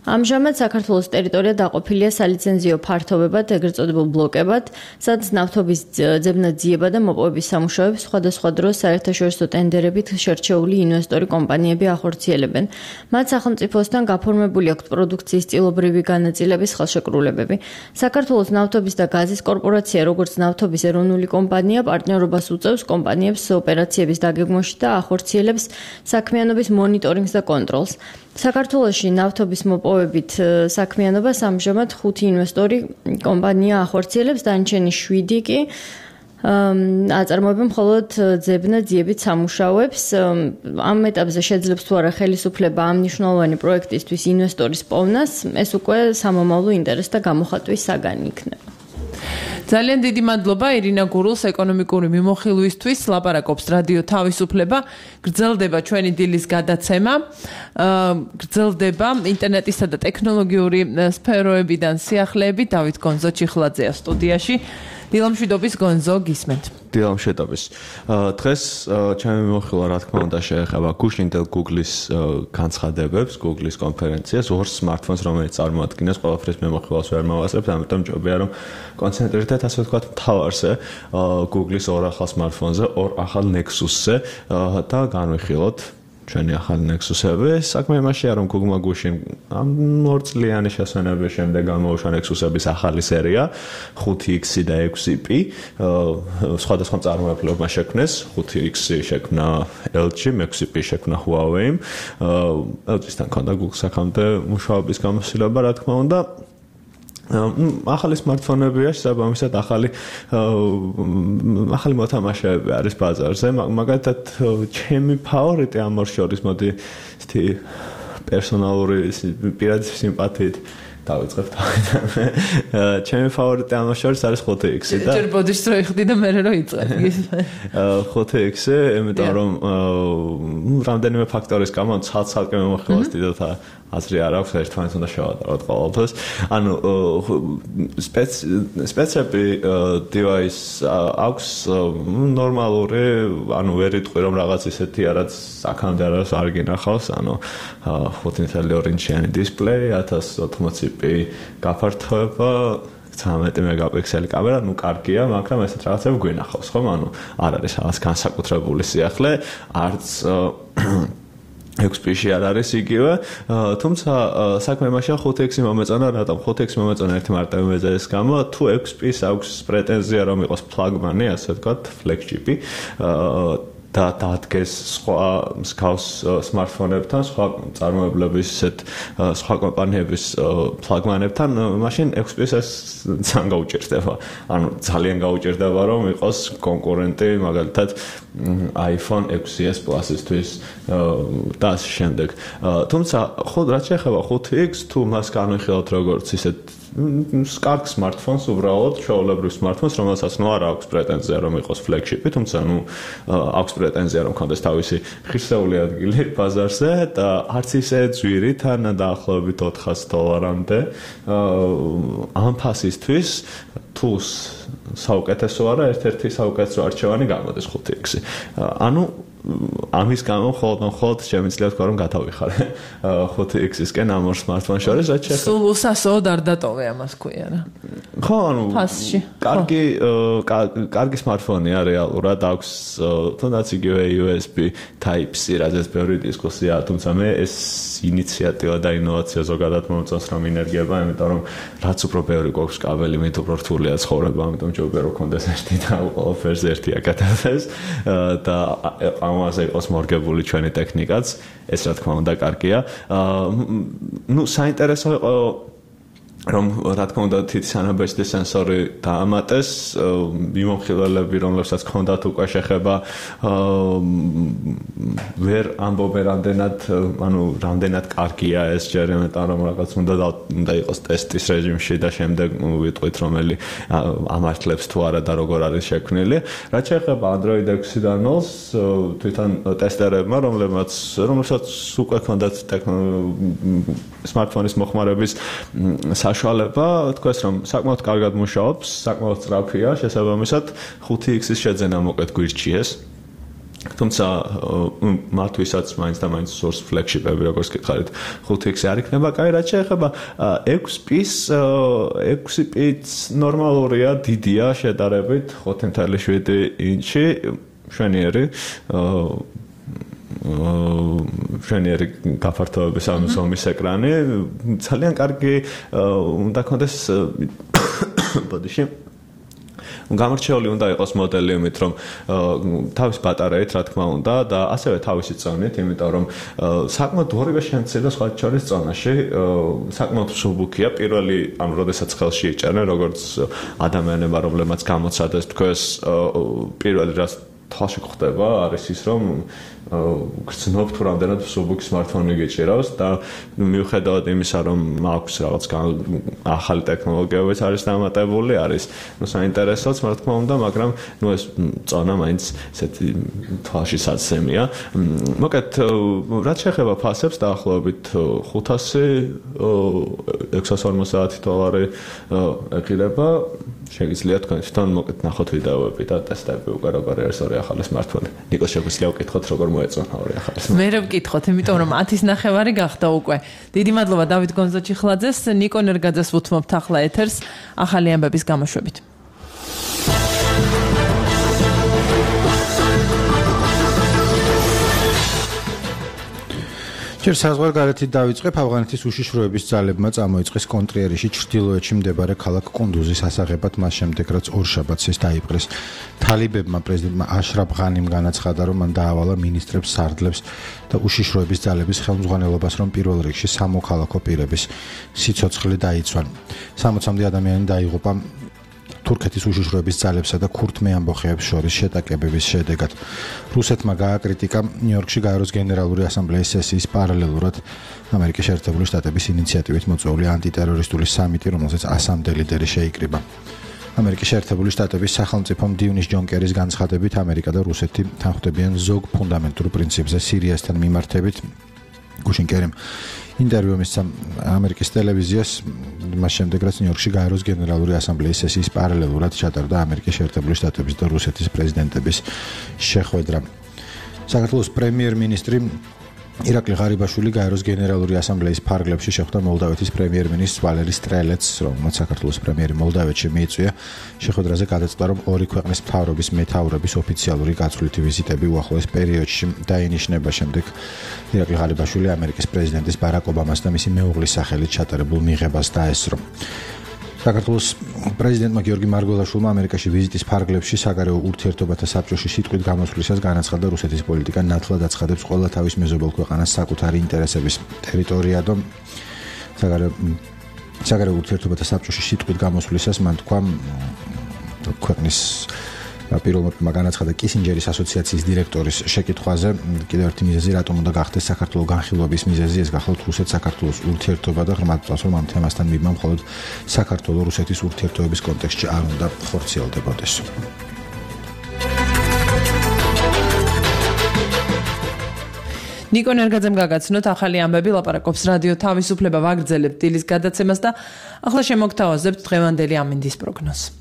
S9: ამჟამად საქართველოს ტერიტორია დაყოფილია სალიცენზიო ფართობებად, ეგრეთ წოდებულ ბლოკებად, სადაც ნავთობის ძებნა ძიება და მოპოვების სამუშაოებს სხვადასხვა დროს საერთაშორისო ტენდერებით შერჩეული ინვესტორი კომპანიები ახორციელებენ. მათ სახელმწიფოსთან გაფორმებული აქვთ პროდუქციის წილობრივი განაწილების ხელშეკრულებები. საქართველოს ნავთობის და გაზის კორპორაცია, როგორც ნავთობის ეროვნული კომპანია, პარტნიორობას უწევს კომპანიებს ოპერაციების დაგეგმვაში და ახორციელებს საქმიანობის მონიტორინგს და კონტროლს. საქართველოში ნავთობის მოპოვებით საქმიანობას ამჟამად 5 ინვესტორი კომპანია ახორციელებს, დანარჩენი 7 კი აწარმოებენ მხოლოდ ძებნა ძიებით სამუშაოებს. ამ ეტაპზე შეძლებს თუ არა ხელისუფლება ამ მნიშვნელოვანი პროექტისთვის ინვესტორის პოვნას, ეს უკვე სამომავლო ინტერესთა გამოხატვის საგანი იქნება.
S1: ძალიან დიდი მადლობა ირინა გურულს ეკონომიკური მიმოხილვისთვის. ლაპარაკობს რადიო თავისუფლება. გრძელდება ჩვენი დილის გადაცემა. გრძელდება ინტერნეტისა და ტექნოლოგიური სფეროებიდან სიახლეები. დავით გონზო ჩიხლაძეა სტუდიაში. დილამშვიდობის გონზო, გისმენთ.
S16: დილამშვიდობის. დღეს ჩემი მიმოხილვა რა თქმა უნდა შეეხება გუშინდელ Google-ის განცხადებებს, Google-ის კონფერენციას, ორ smartphones, რომელიც წარმოადგენს ყველაფრის მიმოხილვას ვერ მოვასწრებთ, ამიტომ მჯობია რომ კონცენტრირდეთ ასე ვთქვათ მთავარზე, Google-ის ორ ახალ smartphone-ზე, ორ ახალ Nexus-ზე და განვიხილოთ ჩვენი ახალი Nexus-ები. საქმე იმაშია რომ Google-მა გუშინ ამ 2 წლიანი შესვენების შემდეგ გამოუშვა Nexus-ების ახალი სერია 5X და 6P. სხვადასხვა მწარმოებლებმა შექმნეს. 5X შექმნა LG, 6P შექმნა Huawei. LG-სთან ქონდა Google-ს აქამდე მუშაობის გამოცდილება, რა თქმა უნდა. ახალი smartphone-ებია, შესაბამისად ახალი მოთამაშეები არის ბაზარზე. მაგალითად, ჩემი ფავორიტი ამ ორ შორის მოდი ისეთი პერსონალური პირადი სიმპათიით დავიწყებთ. ჩემი ფავორიტი ამ შორის არის 5X-ი და
S1: ჯერ ბოდიშს რო იხდი და მე რო იწყებ.
S16: 5X-ი, იმიტომ რომ რამდენიმე ფაქტორის გამო ცალ-ცალკე მომხილავს დიდად აზრი არ აქვს, ერთმანეთს უნდა შევადაროთ ყოველთვის. ანუ სპეცები device აქვს ნორმალური, ანუ ვერ იტყვი რომ რაღაც ისეთი რაც აქამდე არ გინახავს, ანუ 5.2 ინჩიანი დისპლეი, 1080p გაფართოება, 13 მეგაპიქსელი კამერა, ну კარგია, მაგრამ ესეთ რაღაცები გვინახავს, ხომ? ანუ არ არის რაღაც განსაკუთრებული სიახლე, არც 6P-ში არ არის იგივე, თუმცა საქმე იმაშია 5X-ი მომეწონა, რატომ 5X-ი მომეწონა ერთი მარტივი მიზეზის გამო, თუ 6P-ს აქვს პრეტენზია რომ იყოს ფლაგმანი, ასე ვთქვათ, flagship-ი, და დადგეს სხვა მსგავს smartphone-ებთან, სხვა წარმოებლების ისეთ სხვა კომპანიების ფლაგმანებთან, მაშინ 6P-ს ეს ძალიან გაუჭირდება. ანუ ძალიან გაუჭირდება რომ იყოს კონკურენტი, მაგალითად iPhone 6s Plus-ისთვის და ასე შემდეგ. თუმცა ხო რაც შეეხება 5X, თუ მას განვიხილოთ როგორც ისეთ კარგ smartphones, უბრალოდ ჩვეულებრივ smartphones, რომელსაც ნუ არ აქვს პრეტენზია რომ იყოს flagship-ი, თუმცა ნუ აქვს პრეტენზია რომ კონდეს თავისი ღირსეული ადგილი ბაზარზე და არც ისე ძვირი თან დაახლოებით $400-მდე ამ ფასისთვის თუ საუკეთესო არა, ერთ-ერთი საუკეთესო არჩევანი გამოდის 5X-ი. ანუ ამის გამო მხოლოდ შემიძლია თქვა რომ გათავიხარე 5X-ისკენ ამ ორ smartphone-ს შორის, რაც შეეხება
S1: სულ უსასოდ არ დატოვე ამას ქვია რა.
S16: ხო, ანუ
S1: ფასში.
S16: კარგი smartphone-ია რეალურად, აქვს თუნდაც იგივე USB Type-C, რაზეც ბევრი დისკუსია, თუმცა მე ეს ინიციატივა და ინოვაცია ზოგადად მომწონს რომ ინერგიება, იმიტომ რომ რაც უფრო ბევრი გვაქვს კაბელი, მით უფრო რთულია ცხოვრება, ამიტომ ჯობია რომ კონდეს ერთი და ყველაფერს ერთი აკეთებდეს და ამაზე იყოს მორგებული ჩვენი ტექნიკაც, ეს რა თქმა უნდა კარგია. ნუ საინტერესო იყო რომ რა თქმა უნდა თითის ანაბეჭდის სენსორი დაამატეს, მიმომხილველები რომლებსაც ჰქონდათ უკვე შეხება ვერ ამბობენ რამდენად კარგია ეს ჯერ, იმიტომ რომ რაღაც უნდა იყოს ტესტის რეჟიმში და შემდეგ ვიტყვით რომელი ამართლებს თუ არა და როგორ არის შექმნილი. რაც შეეხება Android 6-დან 0-ს, თვითონ ტესტერებმა, რომლებსაც უკვე ჰქონდათ smartphone-ის მოხმარების საშუალება, თქვეს რომ საკმაოდ კარგად მუშაობს, საკმაოდ სწრაფია, შესაბამისად 5X-ის შეძენა მოკეთ გვირჩიეს. თუმცა მათთვისაც მაინც და მაინც source flagship-ები როგორც გითხარით 5X არ იქნება. კაი, რაც შეეხება 6P-ს, 6P-ც ნორმალურია, დიდია შედარებით 5.7 ინჩი, შვენიერი გაფართოების ზომის ეკრანი, ძალიან კარგი უნდა ქონდეს ბოდიში. გამორჩეული უნდა იყოს მოდელი იმით, რომ თავის ბატარეით, რა თქმა უნდა, და ასევე თავისი წონით, იმიტომ რომ საკმაოდ ორივე შემცირდა სხვა შორის წონაში, საკმაოდ მსუბუქია, პირველი, ანუ როდესაც ხელში იჭერენ, როგორც ადამიანებმა, რომლებმაც გამოცადეს თქოს, პირველი რაც თვალში გვხდება არის ის, რომ გრძნობ თუ რამდენად მსუბუქი smartphone-ი გიჭირავს და მიუხედავად იმისა, რომ აქვს რაღაც ახალი ტექნოლოგიებიც არის დამატებული, არის საინტერესოც, რა თქმა უნდა, მაგრამ ეს წონა მაინც ესეთი თვალში საცემია. მოკლედ, რაც შეეხება ფასებს, დაახლოებით $500-650 ეყირება. შეგიძლია თქვენ თვითონ მოკეთ ნახოთ ვიდეოები და ტესტები უკვე როგორ არის ორი ახალი smartphone. ნიკო შეგვიძლია ვკითხოთ როგორ მოეწონა ორი ახალი smartphone.
S1: მე რა ვკითხოთ, იმიტომ რომ 10:30 გახდა უკვე. დიდი მადლობა დავით გონზაჩიხლაძეს, ნიკო ნერგაძეს ვუთმობთ ახლა ეთერს ახალი ამბების გამოშვებით.
S3: ჯერ საზღვარგარეთით დავიწყებ. ავღანეთის უშიშროების ძალებმა წამოიწყეს კონტრიერიში ჩრდილოეთში მდებარე ქალაქ კუნდუზის ასაღებად, მას შემდეგ რაც ორშაბათს ეს დაიპყრეს. თალიბებმა პრეზიდენტმა აშრაფ ღანიმ განაცხადა, რომ მან დაავალა მინისტრებს, სარდლებს და უშიშროების ძალების ხელმძღვანელობას, რომ პირველ რიგში სამოქალაქო პირების სიცოცხლე დაიცვან. 60-მდე ადამიანი დაიღუპა თურქეთის უშიშროების ძალებსა და ქურთმე ამბოხეებს შორის შეტაკებების შედეგად. რუსეთმა გააკრიტიკა ნიუ-იორკში გაეროს გენერალური ასამბლეის სესიის პარალელურად ამერიკის შეერთებული შტატების ინიციატივით მოწვეული ანტიტერორისტული სამიტი, რომელზეც 100-მდე ლიდერი შეიკრიბა. ამერიკის შეერთებული შტატების სახელმწიფო მდივნის ჯონ კერის განცხადებით, ამერიკა და რუსეთი თანხმდებიან ზოგ ფუნდამენტურ პრინციპზე სირიასთან მიმართებით. გუშინ კერიმ ინტერვიუ მისცა ამერიკის ტელევიზიას, მას შემდეგ რაც ნიუ-იორკში გაეროს გენერალური ასამბლეის სესიის პარალელურად ჩატარდა ამერიკის შეერთებული შტატების და რუსეთის პრეზიდენტების შეხვედრა. საქართველოს პრემიერ-მინისტრი ირაკლი ღარიბაშვილი გაეროს გენერალური ასამბლეის ფარგლებში შეხვდა მოლდავეთის პრემიერ-მინისტრს ვალერი სტრელეცს, რომელმაც საქართველოს პრემიერი მოლდავეთში მიიწვია. შეხვედრაზე გადაწყდა, რომ ორი ქვეყნის მთავრობის მეთაურების ოფიციალური გაცვლითი ვიზიტები უახლოეს პერიოდში დაინიშნება. შემდეგ ირაკლი ღარიბაშვილი ამერიკის პრეზიდენტის ბარაკ ობამას და მისი მეუღლის სახელით ჩატარებულ მიღებას დაესწრო. საქართველოს პრეზიდენტმა გიორგი მარგველაშვილმა ამერიკაში ვიზიტის ფარგლებში საგარეო ურთიერთობათა საბჭოში სიტყვით გამოსვლისას განაცხადა, რუსეთის პოლიტიკა ნათლად აცხადებს ყველა თავის მეზობელ ქვეყანას საკუთარი ინტერესების ტერიტორია და საგარეო ურთიერთობათა საბჭოში სიტყვით გამოსვლისას მან თქვა ქვეყნის პირველმა განაცხადა კისინჯერის ასოციაციის დირექტორის შეკითხვაზე, კიდევ ერთი მიზეზი რატომ უნდა გახდეს საქართველოს განხილვების მიზეზი, ეს გახლავთ რუსეთ-საქართველოს ურთიერთობა და ღრმად წავს, რომ ამ თემასთან მიბმა მხოლოდ საქართველოს-რუსეთის ურთიერთობების კონტექსტში არ უნდა ხორციელდებოდეს.
S1: ნიკო ნერგაძემ გაგაცნოთ ახალი ამბები, ლაპარაკობს რადიო თავისუფლება, ვაგრძელებთ დილის გადაცემას და ახლა შემოგთავაზებთ დღევანდელი ამინდის პროგნოზს.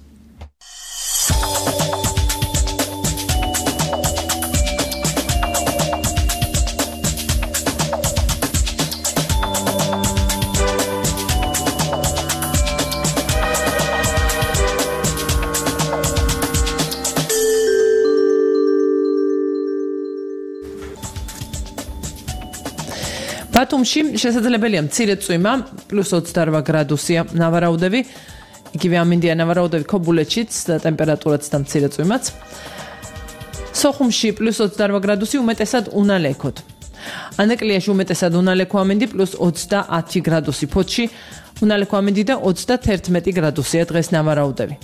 S1: ბათუმში შესაძლებელია მცირე წვიმა, +28 გრადუსია ნავარაუდები, იგივე ამინდია ნავარაუდები ქობულეთშიც და ტემპერატურაც და მცირე წვიმაც. სოხუმში +28 გრადუსი უმეტესად უნალექოდ. ანეკლიაში უმეტესად უნალექო ამინდი +30 გრადუსი, ფოთში უნალექო ამინდი და 31 გრადუსია დღეს ნავარაუდები.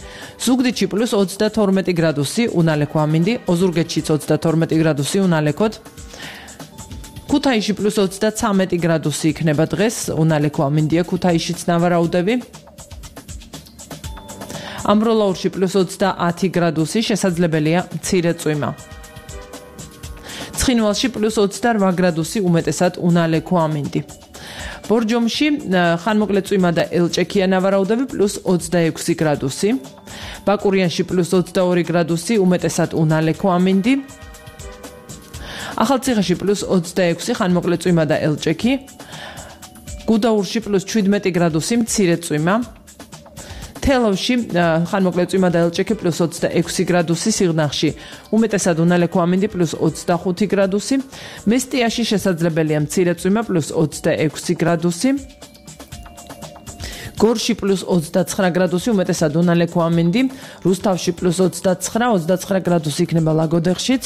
S1: ზუგდიდში +32 გრადუსი უნალექო ამინდი, ოზურგეთშიც 32 გრადუსი უნალექოდ. ქუთაისში +33 გრადუსი იქნება დღეს, უნალექო ამინდია ქუთაისშიც ნავარაუდები. ამბროლაურში +30 გრადუსი, შესაძლებელია მცირე წვიმა. ცხინვალში +28 გრადუსი, უმეტესად უნალექო ამინდი. ბორჯომში ხანმოკლე წვიმა და ელჭექია ნავარაუდები +26 გრადუსი. ბაკურიანში +22 გრადუსი, უმეტესად უნალექო ამინდი. ახალციხეში +26 ხანმოკლე წვიმა და ელჭექი. გუდაურში +17 გრადუსი მცირე წვიმა. თელავში ხანმოკლე წვიმა და ელჭექი +26 გრადუსი, სიღნაღში უმეტესად უნალექო ამინდი +25 გრადუსი, მესტიაში შესაძლებელია მცირე წვიმა +26 გრადუსი. გორში +29 გრადუსი, უმეტესად უნალექო ამინდი, რუსთავში +29 გრადუსი იქნება ლაგოდეხშიც.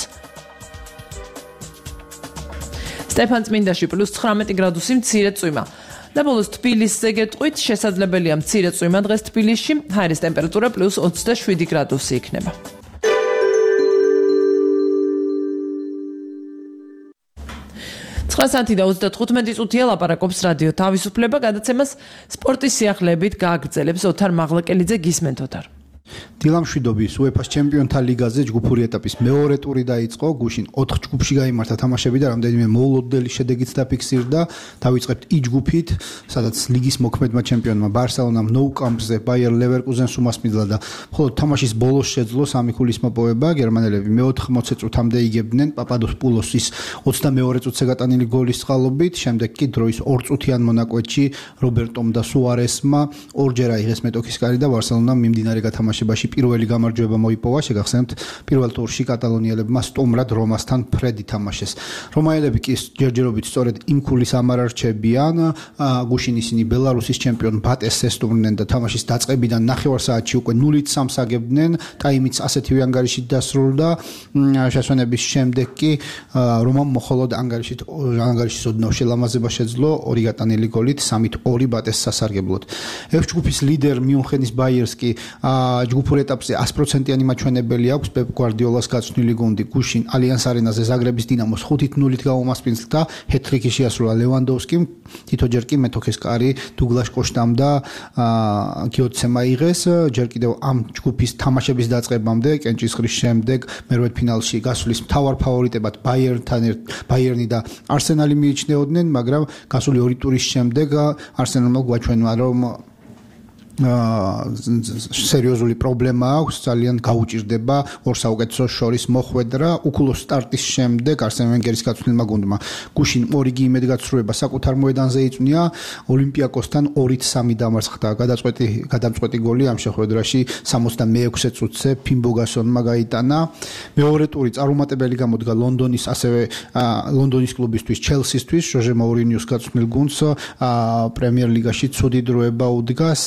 S1: სტეფანწმინდაში +19 გრადუსი მცირე წვიმა. და ბოლოს თბილისზე გეტყვით, შესაძლებელია მცირე წვიმა დღეს თბილისში, ჰაერის ტემპერატურა +27 გრადუსი იქნება. საათი და 35 წუთია ლაპარაკობს რადიო თავისუფლება, გადაცემას სპორტის სიახლეებით გააგრძელებს ოთარ მაღლაკელიძე. გისმენთ ოთარ.
S17: დილამშვიდობის UEFA-ს ჩემპიონთა ლიგაზე ჯგუფური ეტაპის მეორე ტური დაიწყო. გუშინ 4 ჯგუფში გაიმართა თამაშები და რამდენიმე მოულოდნელი შედეგიც დაფიქსირდა. დავიწყებთ I ჯგუფით, სადაც ლიგის მოქმედმა ჩემპიონმა ბარსელონამ Nou Camp-ზე Bayer Leverkusen-ს უმასპინძლა და მხოლოდ თამაშის ბოლოს შეძლო 3-0-ის მოპოვება. გერმანელები მე-80 წუთამდე იგებდნენ პაპადოპულოსის 22 წუთზე გატანილი გოლის წყალობით. შემდეგ კი დროის 2 წუთიან მონაკვეთში რობერტომ და სუარესმა ორჯერ აიღეს მეტოქის კარი და ბარსელონამ მიმდინარე გათამაშებაში პირველი გამარჯვება მოიპოვა. შეგახსენებთ, პირველ ტურში კატალონიელებმა სტუმრად რომასთან ფრედი თამაშეს. რომაელები კი ჯერჯერობით სწორედ იმ ქულის ამარარჩებიან. გუშინ ისინი ბელარუსის ჩემპიონ ბატეს ესტუმრნენ და თამაშის დაწყებიდან ნახევარ საათში უკვე 0-3 აგებდნენ. ტაიმიც ასეთივე ანგარიშით დასრულდა. შესვენების შემდეგ კი რომამ მხოლოდ ანგარიშის ოდნავ შელამაზება შეძლო 2 გატანილი გოლით 3-2 ბატეს სასარგებლოდ. F ჯგუფის ლიდერ მიუნხენის ბაიერს კი ჯგუფურ ეტაპზე 100%-იანი მაჩვენებელი აქვს პეპ გვარდიოლას გაცვნილი გუნდი. გუშინ ალიანს არენაზე ზაგრების დინამოს 5-0-ით გაუმასპინძლა. ჰეტ-ტრიკი შეასრულა ლევანდოვსკიმ. თითოჯერ კი მეტოქის კარი დუგლაშ კოშტამ და გიოცემ აიღეს. ჯერ კიდევ ამ ჯგუფის თამაშების დაწყებამდე კენჭისყრის შემდეგ მერვედ ფინალში გასulis მთავარ ფავორიტებად ბაიერნი და არსენალი მიიჩნეოდნენ, მაგრამ გასული 2 ტურის შემდეგ არსენალმა გვაჩვენა, რომ სერიოზული პრობლემა აქვს, ძალიან გაუჭირდება ორ საუკეთესოს შორის მოხვედრა. უკულოს სტარტის შემდეგ არსენ ვენგერის გაცვლილმა გუნდმა გუშინ 2 იმედგაცრუება საკუთარ მოედანზე იწვნია. ოლიმპიაკოსთან 2-3 დამარცხდა. გადამწყვეტი გოლი ამ შეხვედრაში 66 წუთზე ფიმბოგასონმა გაიტანა. მეორე ტური წარუმატებელი გამოდგა ლონდონის კლუბისთვის, ჩელსისთვის. ჟოჟე მაურინიოს გაცვლილ გუნდს პრემიერ ლიგაში ცუდი დროება უდგას.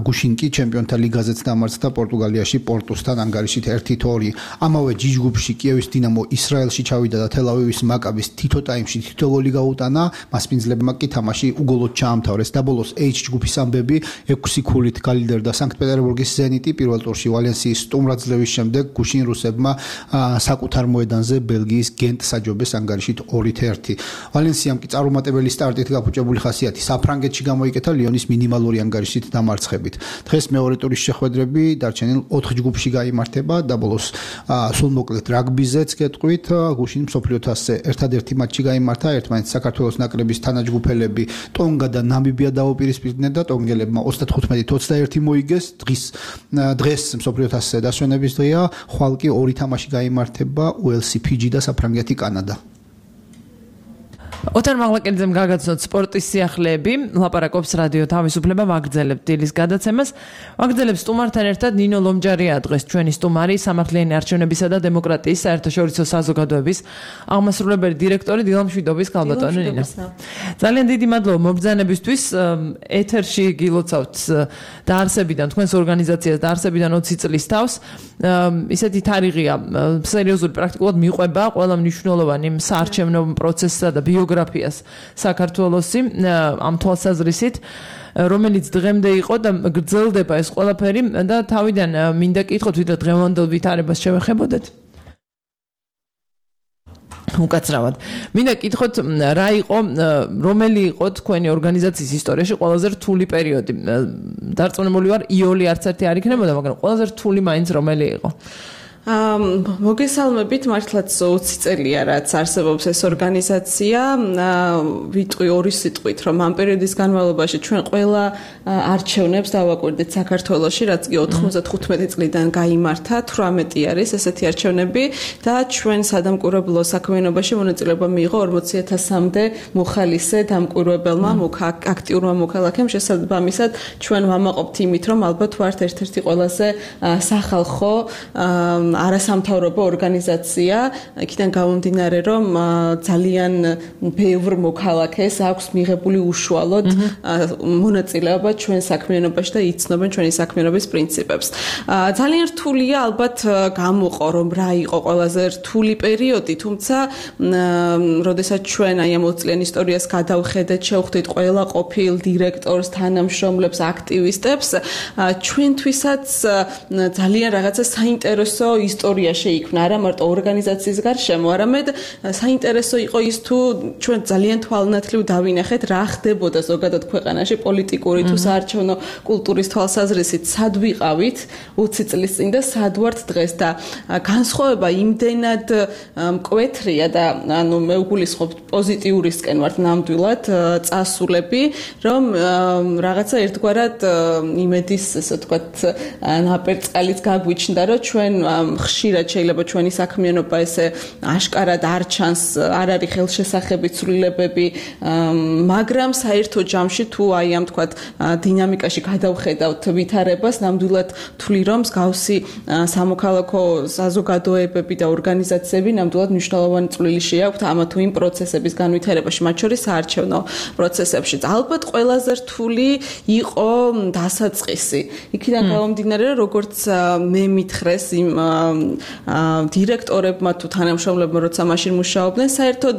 S17: გუშინ კი ჩემპიონთა ლიგაზეც დამარცხდა პორტუგალიაში პორტუსთან ანგარიშით 1-2. ამავე ჯგუფში კიევის დინამო ისრაელში ჩავიდა და თელ-ავივის მაკაბის თითო ტაიმში თითო გოლი გაუტანა. მასპინძლებმა კი თამაში უგოლოდ ჩაამთავრეს და ბოლოს H ჯგუფის ამბები 6-0-ით გალიდერდა სანქტ-პეტერბურგის ზენიტი. პირველ ტურში ვალენსიის სტუმრად ძლევის შემდეგ გუშინ რუსებმა საკუთარ მოედანზე ბელგიის გენტს აჯობეს ანგარიშით 2-1. ვალენსიამ კი წარუმატებელი სტარტით გაფუჭებული ხასიათი საფრანგეთში გამოიკეთა ლიონის მინიმალური ანგარიშით დამარცხებით. დღეს მეორე ტურის შეხვედრები დარჩენილ 4 ჯგუფში გაიმართება და ბოლოს სულმოკლედ რაგბიზეც გეტყვით. გუშინ მსოფლიო თასზე ერთადერთი მატჩი გაიმართა. ერთმანეთს საქართველოს ნაკრების თანაჯგუფელები ტონგა და ნამიბია დაუპირისპირდნენ და ტონგელებმა 35-21 მოიგეს. დღეს მსოფლიო თასზე დასვენების დღეა. ხვალ კი 2 თამაში გაიმართება, უელსი, ფიჯი და საფრანგეთი, კანადა.
S1: ოთარ მაღლაკელიძემ გაგაცნოთ სპორტის სიახლეები, ლაპარაკობს რადიო თავისუფლება, ვაგრძელებთ დილის გადაცემას. ვაგრძელებს სტუმართან ერთად ნინო ლომჯარია დღეს ჩვენი სტუმარი, სამართლიანი არჩევნებისა და დემოკრატიის საერთაშორისო საზოგადოების აღმასრულებელი დირექტორი. დილამშვიდობის, ქალბატონო ნინო. ძალიან დიდი მადლობა მობრძანებისთვის. ეთერში გილოცავთ დაარსებიდან, თქვენს ორგანიზაციას დაარსებიდან 20 წლის თავს. ისეთი თარიღია, სერიოზული პრაქტიკულად მიყვება ყველა მნიშვნელოვანი საარჩევნო პროცესსა და ბიოგრაფიას საქართველოსი ამ თვალსაზრისით, რომელიც დღემდე იყო და გრძელდება ეს ყველაფერი და თავიდან მინდა კითხოთ, ვიდრე დღევანდელ ვითარებას შევეხებოდეთ. უკაცრავად. მინდა კითხოთ, რა იყო, რომელი იყო თქვენი ორგანიზაციის ისტორიაში ყველაზე რთული პერიოდი? დარწმუნებული ვარ, იოლი არც ერთი არ იქნებოდა, მაგრამ ყველაზე რთული მაინც რომელი იყო?
S18: მოგესალმებით, მართლაც 20 წელია რაც არსებობს ეს ორგანიზაცია. ვიტყვი ორი სიტყვით, რომ ამ პერიოდის განმავლობაში ჩვენ ყველა არჩევნებს დავაკვირდით საქართველოში, რაც კი 95 წლიდან გაიმართა, 18 არის ესეთი არჩევნები და ჩვენ სადამკვირვებლო საქმიანობაში მონაწილეობა მიიღო 40,000-მდე მოხალისე დამკვირვებელმა აქტიურმა მოქალაქემ. შესაბამისად, ჩვენ ვამაყობთ იმით, რომ ალბათ ვართ ერთ-ერთი ყველაზე სახალხო არასამთავრობო ორგანიზაცია, იქიდან გამომდინარე, რომ ძალიან ბევრ მოქალაქეს აქვს მიღებული უშუალოდ მონაწილეობა ჩვენ საქმიანობაში და იცნობენ ჩვენი საქმიანობის პრინციპებს. ძალიან რთულია ალბათ გამოყო, რომ რა იყო ყველაზე რთული პერიოდი, თუმცა როდესაც ჩვენ აი ამ 20 წლიან ისტორიას გადავხედეთ, შევხვდით ყველა ყოფილ დირექტორს, თანამშრომლებს, აქტივისტებს, ჩვენთვისაც ძალიან რაღაცა საინტერესო ისტორია შეიქმნა, არა მარტო ორგანიზაციის გარშემო, არამედ საინტერესო იყო ის თუ ჩვენ ძალიან თვალნათლივ დავინახეთ რა ხდებოდა ზოგადად ქვეყანაში პოლიტიკური თუ საარჩევნო კულტურის თვალსაზრისით, სად ვიყავით 20 წლის წინ და სად ვართ დღეს და განსხვავება იმდენად მკვეთრია და ანუ მე უგულისხმობ პოზიტიურისკენ ვართ ნამდვილად წასულები, რომ რაღაცა ერთგვარად იმედის ესე ვთქვათ ნაპერწკალიც გაგვიჩნდა, რომ ჩვენ ხშირად შეიძლება ჩვენი საქმიანობა ესე აშკარად არ ჩანს, არ არის ხელშესახებით ცვლილებები, მაგრამ საერთო ჯამში თუ აი ამ თქვათ დინამიკაში გადავხედავთ ვითარებას, ნამდვილად თვლი რომ მსგავსი სამოქალაქო საზოგადოებები და ორგანიზაციები ნამდვილად მნიშვნელოვანი წვლილი შეაქვთ ამა თუ იმ პროცესების განვითარებაში, მათ შორის საარჩევნო პროცესებში. ალბათ ყველაზე რთული იყო დასაწყისი. იქიდან გამომდინარე, როგორც მე მითხრეს იმ დირექტორებმა თუ თანამშრომლებმა, როცა მაშინ მუშაობდნენ, საერთოდ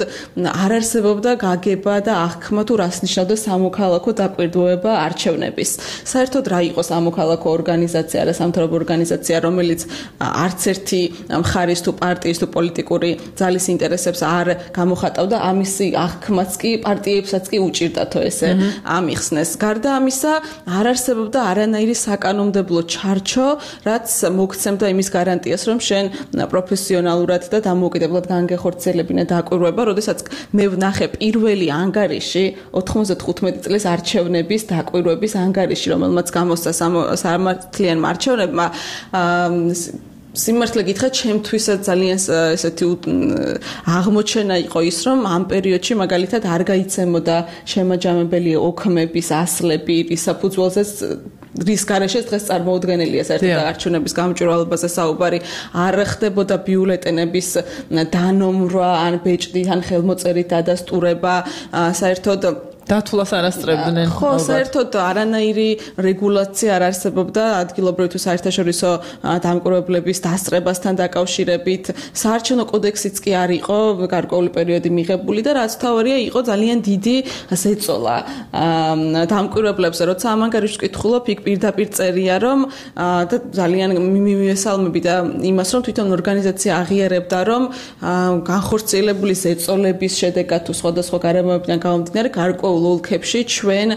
S18: არ არსებობდა გაგება და აღქმა თუ რას ნიშნავდა სამოქალაქო დაკვირვება არჩევნების. საერთოდ რა იყო სამოქალაქო ორგანიზაცია, არასამთავრობო ორგანიზაცია, რომელიც არც ერთი მხარის თუ პარტიის თუ პოლიტიკური ძალის ინტერესებს არ გამოხატავდა, ამისი აღქმაც კი პარტიებსაც კი უჭირდათო ესე ამიხსნეს. გარდა ამისა, არ არსებობდა არანაირი საკანონმდებლო ჩარჩო, რაც მოგცემდა იმის გარანტიას, რომ შენ პროფესიონალურად და დამოუკიდებლად განგეხორციელებინა დაკვირვება, როდესაც მე ვნახე პირველი ანგარიში 95 წლის არჩევნების დაკვირვების ანგარიში, რომელმაც გამოსცა სამართლიანმა არჩევნებმა, სიმართლე გითხრათ, ჩემთვისაც ძალიან ესეთი აღმოჩენა იყო ის, რომ ამ პერიოდში მაგალითად არ გაიცემოდა შემაჯამებელი ოქმების ასლები, რის საფუძველზეც რის გარეშეც დღეს წარმოუდგენელია საერთოდ არჩევნების გამჭვირვალობაზე საუბარი, არ ხდებოდა ბიულეტენების დანომრვა, ან ბეჭდით, ან ხელმოწერით დადასტურება, საერთოდ
S1: დათვლას არ ასწრებდნენ.
S18: ხო, საერთოდ არანაირი რეგულაცია არ არსებობდა ადგილობრივი თუ საერთაშორისო დამკვირვებლების დასწრებასთან დაკავშირებით. საარჩევნო კოდექსიც კი არ იყო გარკვეული პერიოდი მიღებული და რაც თავარია იყო ძალიან დიდი ზეწოლა დამკვირვებლებზე. როცა ამ ანგარიშს ვკითხულობ, იქ პირდაპირ წერია, რომ და ძალიან მივესალმები და იმას, რომ თვითონ ორგანიზაცია აღიარებდა, რომ განხორციელებული ზეწოლების შედეგად თუ სხვადასხვა გარემოებიდან გამომდინარე გარკვეულ ოლქებში ჩვენ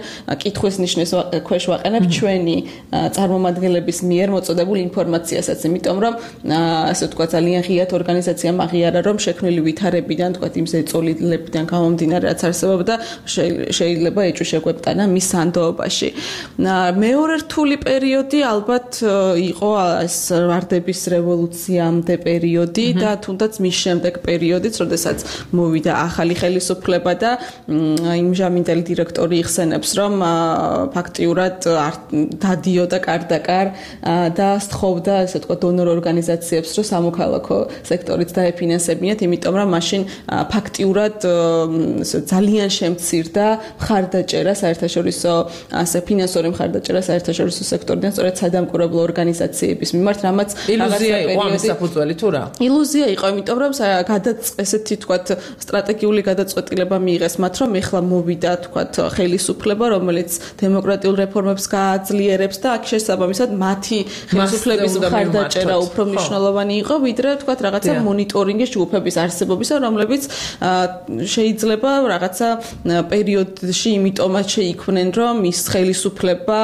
S18: კითხვის ნიშნის ქვეშ ვაყენებ ჩვენი წარმომადგენლების მიერ მოწოდებულ ინფორმაციასაც, იმიტომ რომ ასე ვთქვათ ძალიან ღიად ორგანიზაციამ აღიარა, რომ შექმნილი ვითარებიდან, ვთქვათ იმ ზეწოლებიდან გამომდინარე, რაც არსებობდა, შეიძლება ეჭვი შეგვეპტანა მის სანდოობაში. მეორე რთული პერიოდი ალბათ იყო ეს ვარდების რევოლუციამდე პერიოდი და თუნდაც მის შემდეგ პერიოდიც, როდესაც მოვიდა ახალი ხელისუფლება და იმჟამინდელი დირექტორი იხსენებს, რომ ფაქტიურად დადიოდა კარდაკარ და სთხოვდა, ასე ვთქვათ, დონორ ორგანიზაციებს, რომ სამოქალაქო სექტორით დაეფინანსებინათ, იმიტომ რომ მაშინ ფაქტიურად ძალიან შემცირდა მხარდაჭერა საერთაშორისო ასე ფინანსური მხარდაჭერა საერთაშორისო სექტორიდან, სწორედ სადამკვირვებლო ორგანიზაციების მიმართ, რამაც
S1: ილუზია იყო ამის საფუძველი თუ რა?
S18: ილუზია იყო, იმიტომ რომ ესეთი ვთქვათ სტრატეგიული გადაწყვეტილება მიიღეს მათ, რომ ეხლა მოვიდა თქვათ ხელისუფლება, რომელიც დემოკრატიულ რეფორმებს გააძლიერებს და აქ შესაბამისად მათი ხელისუფლების მხარდაჭერა უფრო მნიშვნელოვანი იყო, ვიდრე თქვათ რაღაცა მონიტორინგის ჯგუფების არსებობისა, რომლებიც შეიძლება რაღაცა პერიოდში იმიტომაც შეიქმნენ, რომ ის ხელისუფლება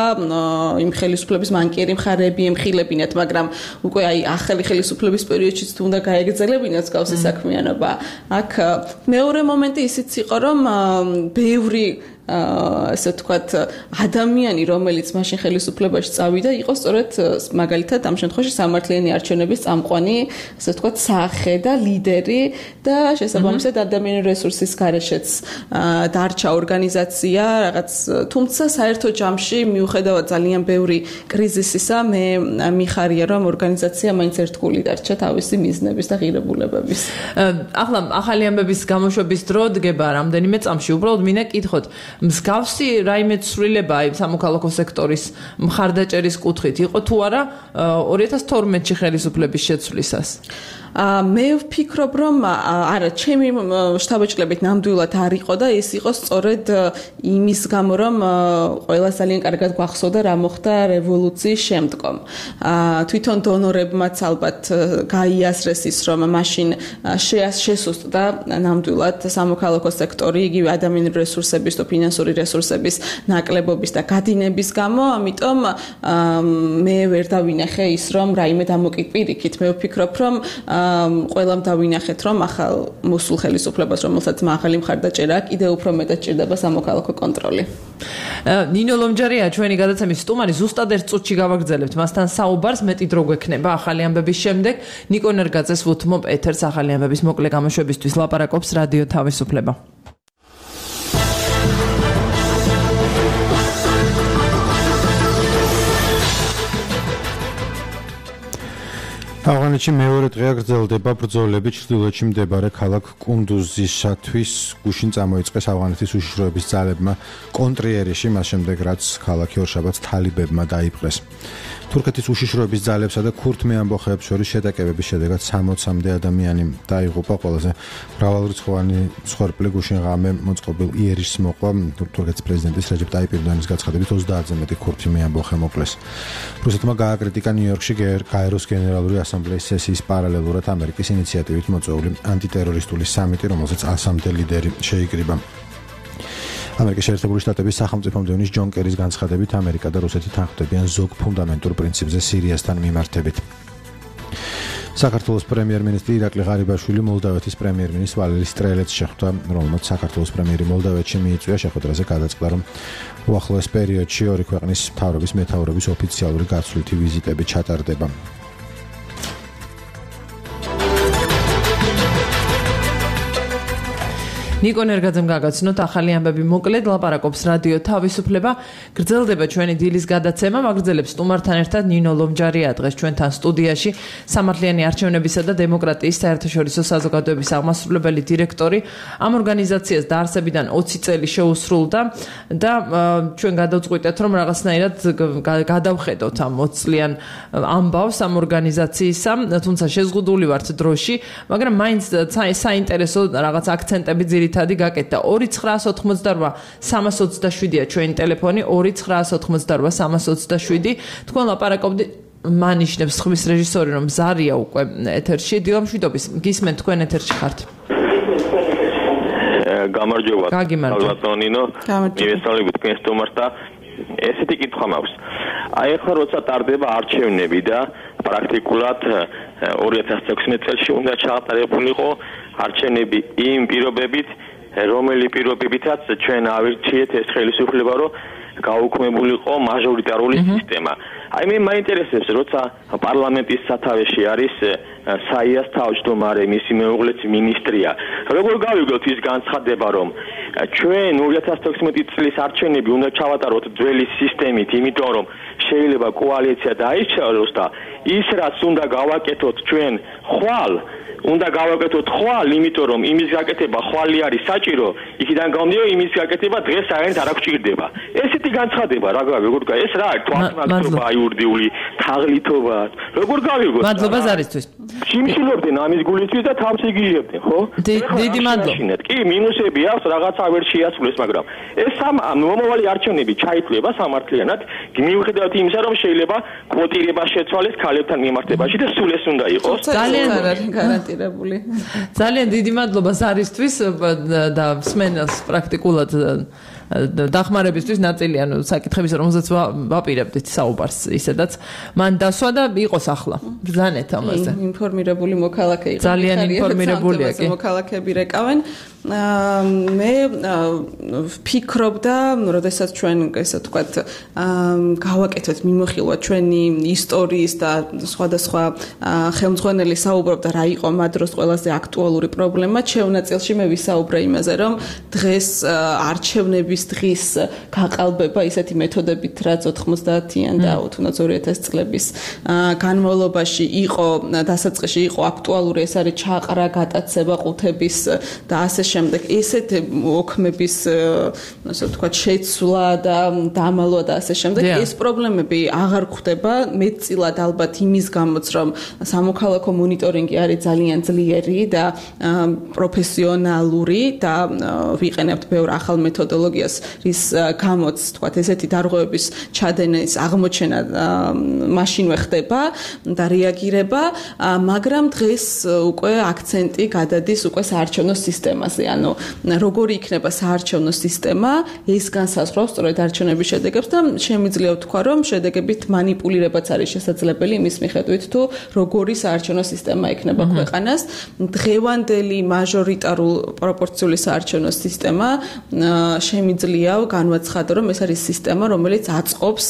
S18: იმ ხელისუფლების მანკიერი მხარეები ემხილებინათ, მაგრამ უკვე აი ახალი ხელისუფლების პერიოდშიც თუ უნდა გაეგრძელებინათ გავსი საქმიანობა. აქ მეორე მომენტი ისიც იყო, რომ ბევრი ასე ვთქვათ ადამიანი, რომელიც მაშინ ხელისუფლებაში წავიდა, იყო სწორედ მაგალითად ამ შემთხვევაში სამართლიანი არჩევნების წამყვანი, ასე ვთქვათ, სახე და ლიდერი და შესაბამისად ადამიანური რესურსის გარეშეც დარჩა ორგანიზაცია, რაღაც თუმცა საერთო ჯამში მიუხედავად ძალიან ბევრი კრიზისისა, მე მიხარია, რომ ორგანიზაცია მაინც ერთგული დარჩა თავისი მიზნების და ღირებულებების.
S1: ახლა ახალი ამბების გამოშვების დრო დგება რამდენიმე წამში, უბრალოდ მინდა კითხოთ მსგავსი რაიმე ცვლილება აი სამოქალაქო სექტორის მხარდაჭერის კუთხით იყო თუ არა 2012-ში ხელისუფლების შეცვლისას?
S18: მე ვფიქრობ, რომ არა, ჩემი შთაბეჭდილებით ნამდვილად არ იყო და ეს იყო სწორედ იმის გამო, რომ ყველა ძალიან კარგად გვახსოვდა რა მოხდა რევოლუციის შემდგომ. თვითონ დონორებმაც ალბათ გაიასრეს ის, რომ მაშინ შესუსტდა ნამდვილად სამოქალაქო სექტორი, იგივე ადამიანური რესურსების და ფინანსური რესურსების ნაკლებობის და გადინების გამო, ამიტომ მე ვერ დავინახე ის, რომ რაიმე დამოკიდპირიქით. მე ვფიქრობ, რომ ყველამ დავინახეთ, რომ ახალ მოსულ ხელისუფლებას, რომელსაც მაღალი მხარდაჭერა აქვს, კიდევ უფრო მეტად ჭირდება სამოქალაქო კონტროლი.
S1: ნინო ლომჯარია ჩვენი გადაცემის სტუმარი, ზუსტად ერთ წუთში გავაგრძელებთ მასთან საუბარს, მეტი დრო გვექნება ახალი ამბების შემდეგ. ნიკო ნერგაძეს ვუთმობ ეთერს ახალი ამბების მოკლე გამოშვებისთვის ლაპარაკობს რადიო თავისუფლება.
S3: ავღანეთში მეორე დღეა გრძელდება ბრძოლები ჩრდილოეთში მდებარე ქალაქ კუნდუზისათვის. გუშინ წამოიწყეს ავღანეთის უშიშროების ძალებმა კონტრიერიში, მას შემდეგ რაც ქალაქი ორშაბათს თალიბებმა დაიპყრეს. თურქეთის უშიშროების ძალებსა და ქურთმე ამბოხეებს შორის შეტაკებების შედეგად 60-მდე ადამიანი დაიღუპა. ყველაზე მრავალრიცხოვანი მსხვერპლი გუშინ ღამე მოწყობილ იერიშს მოყვა. თურქეთის პრეზიდენტის რეჯეპ ტაიპ ერდოანის გაცხადებით 30-ზე მეტი ქურთმე ამბოხე მოკლეს. რუსეთმა გააკრიტიკა ნიუ-იორკში გაეროს გენერალური ასამბლეის სესიის პარალელურად ამერიკის ინიციატივით მოწვეული ანტიტერორისტული სამიტი, რომელსაც 100-მდე ლიდერი შეიკრიბა. ამერიკის შეერთებული შტატების სახელმწიფო მდივნის ჯონ კერის განცხადებით, ამერიკა და რუსეთი თანხმდებიან ზოგ ფუნდამენტურ პრინციპზე სირიასთან მიმართებით. საქართველოს პრემიერ-მინისტრი ირაკლი ღარიბაშვილი მოლდავეთის პრემიერ-მინისტრ ვალერი სტრელეთს შეხვდა, რომელმაც საქართველოს პრემიერი მოლდავეთში მიიწვია. შეხვედრაზე გადაწყდა, რომ უახლოეს პერიოდში ორი ქვეყნის მთავრობის მეთაურების ოფიციალური გაცვლითი ვიზიტები ჩატარდება.
S1: ნიკო ნერგაძემ გაგაცნოთ ახალი ამბები მოკლედ ლაპარაკობს რადიო თავისუფლება. გრძელდება ჩვენი დილის გადაცემა, მაგრძელებს სტუმართან ერთად ნინო ლომჯარია დღეს ჩვენთან სტუდიაში, სამართლიანი არჩევნებისა და დემოკრატიის საერთაშორისო საზოგადოების აღმასრულებელი დირექტორი. ამ ორგანიზაციას დაარსებიდან 20 წელი შეუსრულდა და ჩვენ გადავწყვიტეთ, რომ რაღაცნაირად გადავხედოთ ამ 20 წლიან ამბავს ამ ორგანიზაციისა, თუმცა შეზღუდული ვართ დროში, მაგრამ მაინც საინტერესო რაღაც აქცენტები თადი გაკეთდა. 2988 327-ია ჩვენი ტელეფონი, 2988 327. თქვენ ლაპარაკობდით, მანიშნებს ხმის რეჟისორი, რომ ზარია უკვე ეთერში. დილამშვიდობის, გისმენთ, თქვენ ეთერში ხართ.
S19: გამარჯობა.
S1: გაგიმარჯობა.
S19: ნინო, მივესალმებით თქვენ სტუმარს და ესეთი კითხვა მაქვს. აი ახლა როცა ტარდება არჩევნები და პრაქტიკულად 2016 წელს უნდა ჩაატარებულიყო არჩევნები იმ პირობებით, რომელი პირობებითაც ჩვენ ავირჩიეთ ეს ხელისუფლება, რომ გაუქმებულიყო მაჟორიტარული სისტემა. აი მე მაინტერესებს, როცა პარლამენტის სათავეში არის საიას თავმჯდომარე, მისი მეუღლეც მინისტრია. როგორ გავიგოთ ის განცხადება, რომ ჩვენ 2016 წლის არჩევნები უნდა ჩავატაროთ ძველი სისტემით, იმიტომ რომ შეიძლება კოალიცია დაიშალოს და ის რაც უნდა გავაკეთოთ ჩვენ ხვალ უნდა გავაკეთოთ ხვალ, იმიტომ რომ იმის გაკეთება ხვალი არის საჭირო, იქიდან გამომდინარე იმის გაკეთება დღეს საერთოდ არ აღჭირდება. ესეთი განცხადება რა გავიგოთ, ეს რა თვალსაჩინო აიურდიული თაღლითობა, როგორ გავიგოთ?
S1: მადლობა ზარისთვის.
S19: ჩიმშილობდნენ ამის გულისთვის და თამს იგიჟებდნენ, ხო?
S1: დიდი მადლობა.
S19: კი, მინუსები აქვს, რაღაცა ვერ შეასრულეს, მაგრამ ეს მომავალი არჩევნები ჩაითვლება სამართლიანად, მიუხედავად იმისა, რომ შეიძლება კვოტირება შეცვალეს ქალებთან მიმართებაში და სულ ეს უნდა იყოს.
S18: ძალიან გარანტირებული.
S1: ძალიან დიდი მადლობა ზარისთვის და მსმენელს პრაქტიკულად დახმარებისთვის ნაწილი ანუ საკითხების რომელზეც ვაპირებდით საუბარს ისედაც მან დასვა და იყოს ახლა ბრძანეთ ამაზე
S18: ინფორმირებული მოქალაქე იყო
S1: ძალიან ინფორმირებულია კი
S18: მოქალაქეები რეკავენ მე ვფიქრობდა როდესაც ჩვენ ესე ვთქვათ გავაკეთეთ მიმოხილვა ჩვენი ისტორიის და სხვადასხვა ხელმძღვანელი საუბრობდა რა იყო ამ დროს ყველაზე აქტუალური პრობლემა ჩვენაწილში მე ვისაუბრე იმაზე რომ დღეს არჩევნების დღის გაყალბება ისეთი მეთოდებით რაც 90-იან და თუნდაც 2000 წლების განმავლობაში იყო დასაწყისში იყო აქტუალური ეს არის ჩაყრა გატაცება ყუთების და ასე შემდეგ ესეთ ოქმების ასე ვთქვათ შეცვლა და დამალვა და ასე შემდეგ ეს პრობლემები აღარ გვხდება მეტწილად ალბათ იმის გამოც რომ სამოქალაქო მონიტორინგი არის ძალიან ძლიერი და პროფესიონალური და ვიყენებთ ბევრ ახალ მეთოდოლოგიას რის გამოც ვთქვათ ესეთი დარღვევების ჩადენის აღმოჩენა მაშინვე ხდება და რეაგირება მაგრამ დღეს უკვე აქცენტი გადადის უკვე საარჩევნო სისტემაზე ანუ როგორი იქნება საარჩევნო სისტემა ეს განსაზღვრავს სწორედ არჩევნების შედეგებს და შემიძლია ვთქვა რომ შედეგებით манипуლირებაც არის შესაძლებელი იმის მიხედვით თუ როგორი საარჩევნო სისტემა ექნება ქვეყანას დღევანდელი მაჟორიტარულ პროპორციული საარჩევნო სისტემა შემიძლია განვაცხადო რომ ეს არის სისტემა რომელიც აწყობს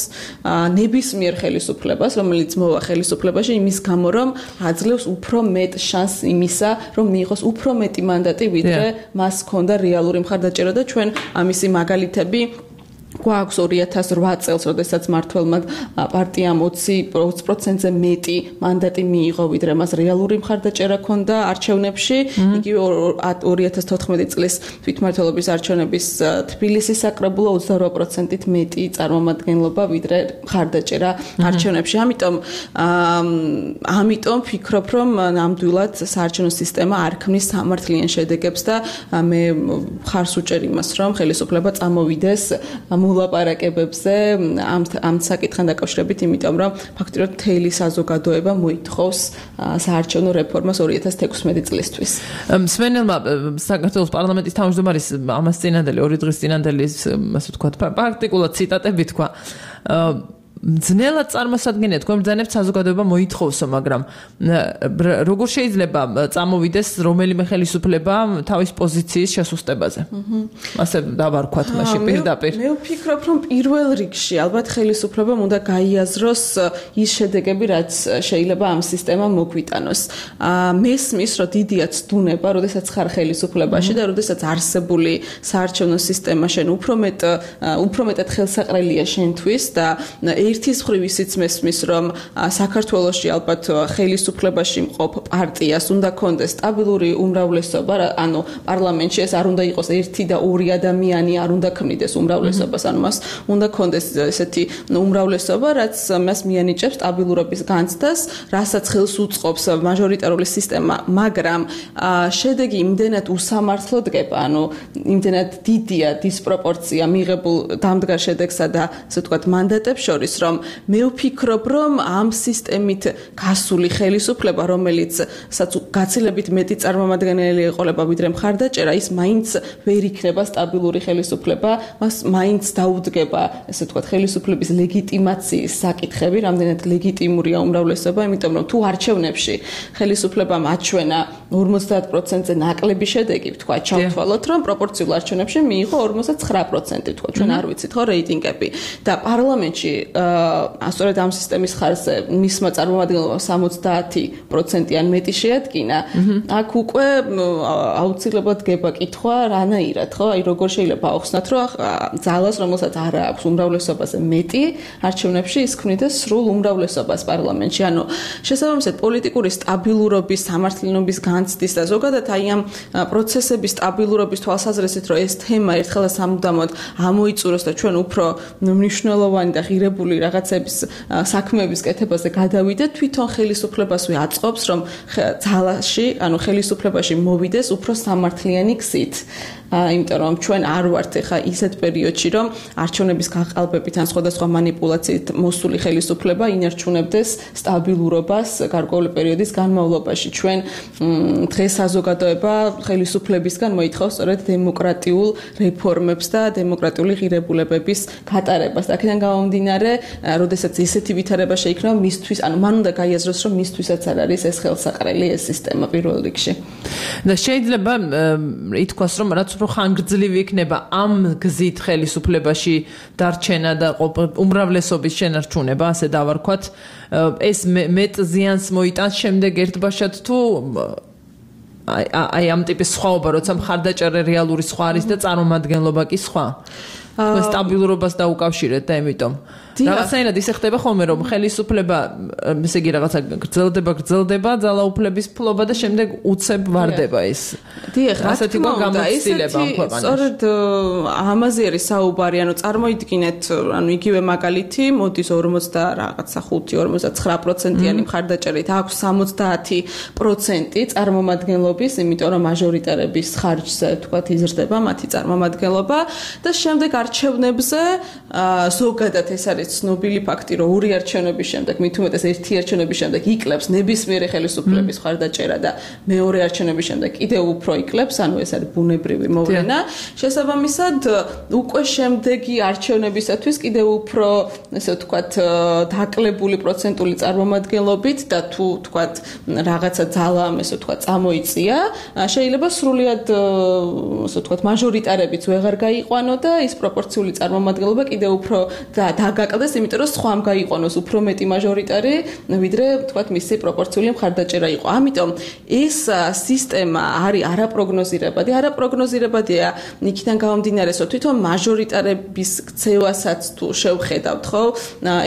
S18: ნებისმიერ ხელისუფლებას რომელიც მოვა ხელისუფლებაში იმის გამო რომ აძლევს უფრო მეტ შანსს იმისა რომ მიიღოს უფრო მეტი მანდატი ვიდრე მას ჰქონდა რეალური მხარდაჭერა და ჩვენ ამისი მაგალითები გვაქვს 2008 წელს, როდესაც მართველმა პარტიამ 20%-ზე მეტი მანდატი მიიღო, ვიდრე მას რეალური მხარდაჭერა ჰქონდა არჩევნებში. იგივე 2014 წლის თვითმმართველობის არჩევნების თბილისის საკრებულო 28%-ით მეტი წარმომადგენლობა, ვიდრე მხარდაჭერა არჩევნებში. ამიტომ ვფიქრობ, რომ ნამდვილად საარჩევნო სისტემა არ ქმნის სამართლიან შედეგებს და მე მხარს უჭერ იმას, რომ ხელისუფლება წამოვიდეს მოლაპარაკებებზე ამ საკითხთან დაკავშირებით, იმიტომ რომ ფაქტობრივად მთელი საზოგადოება მოითხოვს საარჩევნო რეფორმას 2016 წლისთვის.
S1: მსმენელმა საქართველოს პარლამენტის თავმჯდომარის ამას წინანდელი 2 დღის წინანდელი ასე ვთქვათ პრაქტიკულად ციტატები თქვა ძნელად წარმოსადგენია თქვენ ბრძანებთ საზოგადოება მოითხოვსო, მაგრამ როგორ შეიძლება წამოვიდეს რომელიმე ხელისუფლება თავის პოზიციის შესუსტებაზე? ასე დავარქვათ მაშინ პირდაპირ.
S18: მე ვფიქრობ, რომ პირველ რიგში ალბათ ხელისუფლებამ უნდა გაიაზროს ის შედეგები, რაც შეიძლება ამ სისტემამ მოგვიტანოს. მესმის, რომ დიდია ცდუნება, როდესაც ხარ ხელისუფლებაში და როდესაც არსებული საარჩევნო სისტემა შენ უფრო მეტად ხელსაყრელია შენთვის და ერთის მხრივ ისიც მესმის, რომ საქართველოში ალბათ ხელისუფლებაში მყოფ პარტიას უნდა კონდეს სტაბილური უმრავლესობა, ანუ პარლამენტში ეს არ უნდა იყოს 1 და 2 ადამიანი, არ უნდა ქმნიდეს უმრავლესობას, ანუ მას უნდა კონდეს ესეთი უმრავლესობა, რაც მას მიანიჭებს სტაბილურობის განცდას, რასაც ხელს უწყობს მაჟორიტარული სისტემა, მაგრამ შედეგი იმდენად უსამართლო დგება, ანუ იმდენად დიდია დისპროპორცია მიღებულ დამდგარ შედეგსა და ასე ვთქვათ მანდატებს შორის, რომ მე ვფიქრობ, რომ ამ სისტემით გასული ხელისუფლება, რომელიც გაცილებით მეტი წარმომადგენელი ეყოლება ვიდრე მხარდაჭერა, ის მაინც ვერ იქნება სტაბილური ხელისუფლება, მას მაინც დაუდგება, ასე ვთქვათ, ხელისუფლების ლეგიტიმაციის საკითხები, რამდენად ლეგიტიმურია უმრავლესობა, იმიტომ რომ თუ არჩევნებში ხელისუფლებამ აჩვენა 50%-ზე ნაკლები შედეგი, ვთქვათ, ჩავთვალოთ, რომ პროპორციულ არჩევნებში მიიღო 59%, ვთქვათ, ჩვენ არ ვიცით ხო რეიტინგები და პარლამენტში სწორედ ამ სისტემის ხარჯზე მისმა წარმომადგენლობამ 70%-იან მეტი შეადგინა. აქ უკვე აუცილებლად გება კითხვა რანაირად, ხო? აი როგორ შეიძლება ახსნათ, რომ ძალას, რომელსაც არ აქვს უმრავლესობაზე მეტი, არჩევნებში ის ქმნიდეს სრულ უმრავლესობას პარლამენტში. ანუ შესაბამისად პოლიტიკური სტაბილურობის, სამართლიანობის განცდის და ზოგადად აი ამ პროცესების სტაბილურობის თვალსაზრისით, რომ ეს თემა ერთხელ და სამუდამოდ ამოიწუროს და ჩვენ უფრო მნიშვნელოვანი და ღირებული რაღაცების საქმეების კეთებაზე გადავიდეთ, თვითონ ხელისუფლებასვე აწყობს, რომ ძალაში, ანუ ხელისუფლებაში მოვიდეს უფრო სამართლიანი გზით. იმიტომ რომ ჩვენ არ ვართ ახლა ისეთ პერიოდში, რომ არჩევნების გაყალბებით ან სხვადასხვა манипуляციით მოსული ხელისუფლება ინარჩუნებდეს სტაბილურობას გარკვეული პერიოდის განმავლობაში. ჩვენ დღეს საზოგადოება ხელისუფლებისგან მოითხოვს სწორედ დემოკრატიულ რეფორმებს და დემოკრატიული ღირებულებების გატარებას. აქედან გამომდინარე, როდესაც ისეთი ვითარება შეიქმნა, მისთვის, ანუ მან უნდა გაიაზროს, რომ მისთვისაც არ არის ეს ხელსაყრელი ეს სისტემა პირველ რიგში.
S1: და შეიძლება ითქვას, რომ რაც უფრო ხანგრძლივი იქნება ამ გზით ხელისუფლებაში დარჩენა და უმრავლესობის შენარჩუნება, ასე დავარქვათ, ეს მეტ ზიანს მოიტანს შემდეგ ერთბაშად თუ აი ამ ტიპის სხვაობა, როცა მხარდაჭერა რეალური სხვა არის და წარმომადგენლობა კი სხვა. სტაბილურობას დაუკავშირეთ და ამიტომ რაღაცნაირად ისე ხდება ხოლმე რომ ხელისუფლება ესე იგი რაღაცა გრძელდება ძალაუფლების ფლობა და შემდეგ უცებ ვარდება ეს.
S18: დიახ, ასეთი გამოცდილება ამ ქვეყანაში. სწორედ ამაზე არის საუბარი, ანუ წარმოიდგინეთ, ანუ იგივე მაგალითი, მოდის 45-49%-იანი მხარდაჭერით აქვს 70% წარმომადგენლობის, იმიტომ რომ მაჟორიტარების ხარჯზე თქვათ იზრდება მათი წარმომადგენლობა და შემდეგ არჩევნებზე ზოგადად ეს არის ცნობილი ფაქტი, რომ ორი არჩევნების შემდეგ, მით უმეტეს ერთი არჩევნების შემდეგ იკლებს ნებისმიერი ხელისუფლების მხარდაჭერა და მეორე არჩევნების შემდეგ კიდევ უფრო იკლებს, ანუ ეს არის ბუნებრივი მოვლენა. შესაბამისად, უკვე შემდეგი არჩევნებისათვის კიდევ უფრო, ესე ვთქვათ, დაკლებული პროცენტული წარმომადგენლობით და თუ ვთქვათ, რაღაცა ძალა, ესე ვთქვათ, წამოიწია, შეიძლება სრულიად, ესე ვთქვათ, მაჟორიტარებიც ვეღარ გაიყვანო და ის პროპორციული წარმომადგენლობა კიდევ უფრო დაგაკლდეს, იმიტომ რომ სხვამ გაიყვანოს უფრო მეტი მაჟორიტარი, ვიდრე ვთქვათ მისი პროპორციული მხარდაჭერა იყო. ამიტომ ეს სისტემა არის არაპროგნოზირებადი. არაპროგნოზირებადია იქიდან გამომდინარე, რომ თვითონ მაჟორიტარების ქცევასაც თუ შევხედავთ, ხო?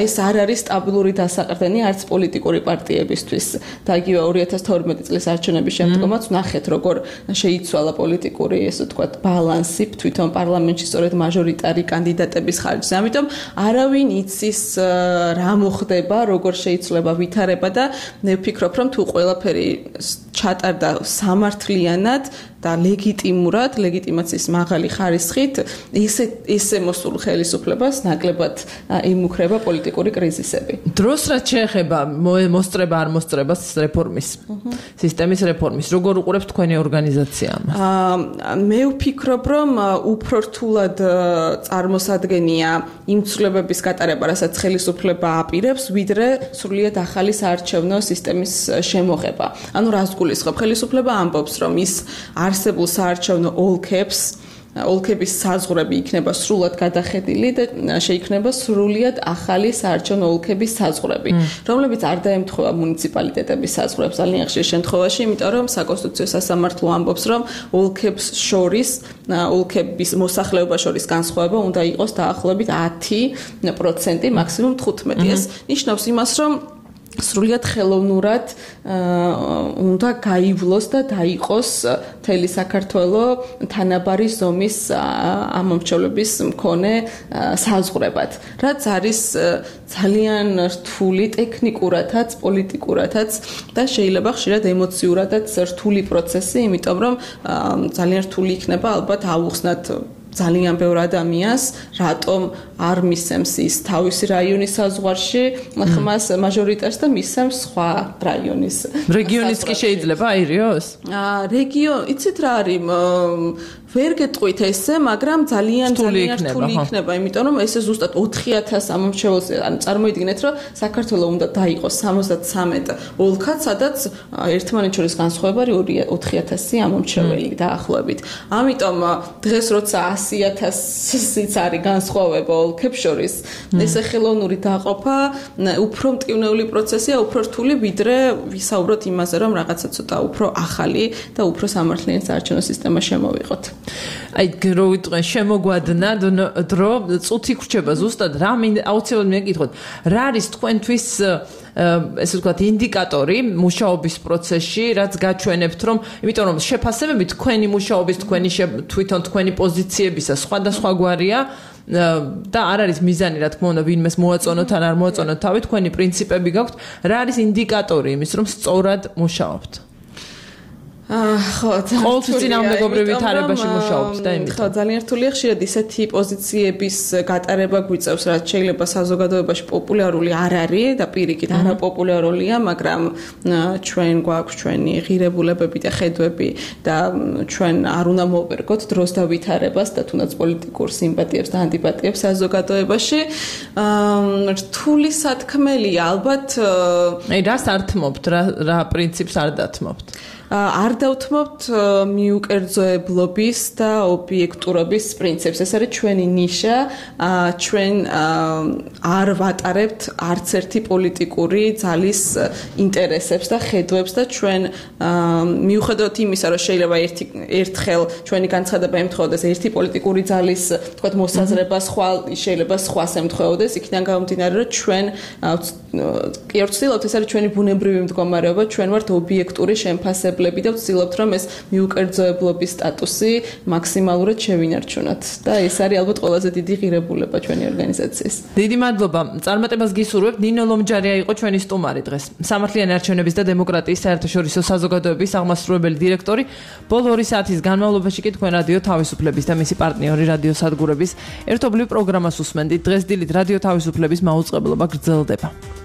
S18: ეს არ არის სტაბილური დასაყრდენი არც პოლიტიკური პარტიებისთვის. და იგივე 2012 წლის არჩევნების შემდგომაც ნახეთ, როგორ შეიცვალა პოლიტიკური, ესე ვთქვათ, ბალანსი თვითონ პარლამენტში სწორედ მაჟორიტარი კანდიდატების ხარჯზე. ამიტომ არავინ იცის რა მოხდება, როგორ შეიცვლება ვითარება და მე ვფიქრობ, რომ თუ ყველაფერი ჩატარდა სამართლიანად და ლეგიტიმურად, ლეგიტიმაციის მაღალი ხარისხით, ესე მოსულ ხელისუფლებას ნაკლებად იმუქრება პოლიტიკური კრიზისები.
S1: დროს რაც შეეხება მოსწრება არ მოსწრებას რეფორმის, სისტემის რეფორმის, როგორ უყურებს თქვენი ორგანიზაცია ამას?
S18: მე ვფიქრობ, რომ უფრო რთულად წარმოსადგენია იმ ცვლილებების გატარება, რასაც ხელისუფლება აპირებს, ვიდრე სრულიად ახალი საარჩევნო სისტემის შემოღება. ანუ რას გულისხმობ? ხელისუფლება ამბობს, რომ ის არსებულ საარჩევნო ოლქების საზღვრები იქნება სრულად გადახედილი და შეიქმნება სრულიად ახალი საარჩევნო ოლქების საზღვრები, რომლებიც არ დაემთხვევა მუნიციპალიტეტების საზღვრებს ძალიან ხშირ შემთხვევაში, იმიტომ რომ საკონსტიტუციო სასამართლო ამბობს, რომ ოლქების მოსახლეობა შორის განსხვავება უნდა იყოს დაახლოებით 10%, მაქსიმუმ 15%. ეს ნიშნავს იმას, რომ სრულიად ხელოვნურად უნდა გაივლოს და დაიყოს მთელი საქართველო თანაბარი ზომის ამომრჩევლების მქონე საზღვრებად, რაც არის ძალიან რთული ტექნიკურადაც, პოლიტიკურადაც და შეიძლება ხშირად ემოციურადაც რთული პროცესი, იმიტომ რომ ძალიან რთული იქნება ალბათ აუხსნათ ძალიან ბევრ ადამიანს, რატომ არ მისცემს ის თავისი რაიონის საზღვარში ხმას მაჟორიტარს და მისცემს სხვა რაიონის.
S1: რეგიონის კი შეიძლება აირიოს?
S18: იცით რა არის? ვერ გეტყვით ესე, მაგრამ ძალიან რთული იქნება, იმიტომ რომ ესე ზუსტად 4000 ამომრჩეველს, ანუ წარმოიდგინეთ, რომ საქართველო უნდა დაიყოს 73 ოლქად, სადაც ერთმანეთს შორის განსხვავება არის 4000 ამომრჩეველი დაახლოებით. ამიტომ დღეს როცა 100,000-იც არის განსხვავება ოლქებს შორის, ესე ხელოვნური დაყოფა უფრო მტკივნეული პროცესია, უფრო რთული, ვიდრე ვისაუბროთ იმაზე, რომ რაღაცა ცოტა უფრო ახალი და უფრო სამართლიანი საარჩევნო სისტემა შემოვიღოთ.
S1: აი რო ვიტყვენ შემოგვადნა დრო წუთი ხრჩება ზუსტად რა აუცილებლად მეკითხოთ რა არის თქვენთვის ესე ვთქვათ ინდიკატორი მუშაობის პროცესში რაც გაჩვენებთ რომ იმიტომ რომ შეფასებები თქვენი მუშაობის თვითონ თქვენი პოზიციებისა სხვადასხვაგვარია და არ არის მიზანი რა თქმა უნდა ვინმეს მოაწონოთ ან არ მოაწონოთ თავი თქვენი პრინციპები გაქვთ რა არის ინდიკატორი იმის რომ სწორად მუშაობთ
S18: ხო,
S1: ყოველთვის წინააღმდეგობრივ ვითარებაში მუშაობთ და იმით.
S18: ხო, ძალიან რთულია ხშირად ისეთი პოზიციების გატარება გვიწევს, რაც შეიძლება საზოგადოებაში პოპულარული არ არის და პირიქით არაპოპულარულია, მაგრამ ჩვენ გვაქვს ჩვენი ღირებულებები და ხედვები და ჩვენ არ უნდა მოვერგოთ დროს და ვითარებას და თუნდაც პოლიტიკურ სიმპათიებს და ანტიპათიებს საზოგადოებაში. რთული სათქმელია ალბათ.
S1: რას ართმობთ, რა პრინციპს არ დათმობთ?
S18: არ დავთმობთ მიუკერძოებლობის და ობიექტურობის პრინციპს. ეს არის ჩვენი ნიშა. ჩვენ არ ვატარებთ არც ერთი პოლიტიკური ძალის ინტერესებს და ხედვებს და ჩვენ მიუხედავად იმისა, რომ შეიძლება ერთხელ ჩვენი განცხადება ემთხვეოდეს ერთი პოლიტიკური ძალის, თქვათ, მოსაზრება, სხვა შეიძლება სხვას ემთხვეოდეს, იქიდან გამომდინარე, რომ ჩვენ კი არ ვცდილობთ, ეს არის ჩვენი ბუნებრივი მდგომარეობა, ჩვენ ვართ ობიექტური შემფასებლები და ვცდილობთ რომ ეს მიუკერძოებლობის სტატუსი მაქსიმალურად შევინარჩუნოთ და ეს არის ალბათ ყველაზე დიდი ღირებულება ჩვენი ორგანიზაციის.
S1: დიდი მადლობა. წარმატებას გისურვებთ. ნინო ლომჯარია იყო ჩვენი სტუმარი დღეს. სამართლიანი არჩევნების და დემოკრატიის საერთაშორისო საზოგადოების აღმასრულებელი დირექტორი. ბოლო 2 საათის განმავლობაში კი თქვენ რადიო თავისუფლების და მისი პარტნიორი რადიო სადგურების ერთობლივ პროგრამას უსმენდით. დღეს დილით რადიო თავისუფლების მაუწყებლობა გრძელდება.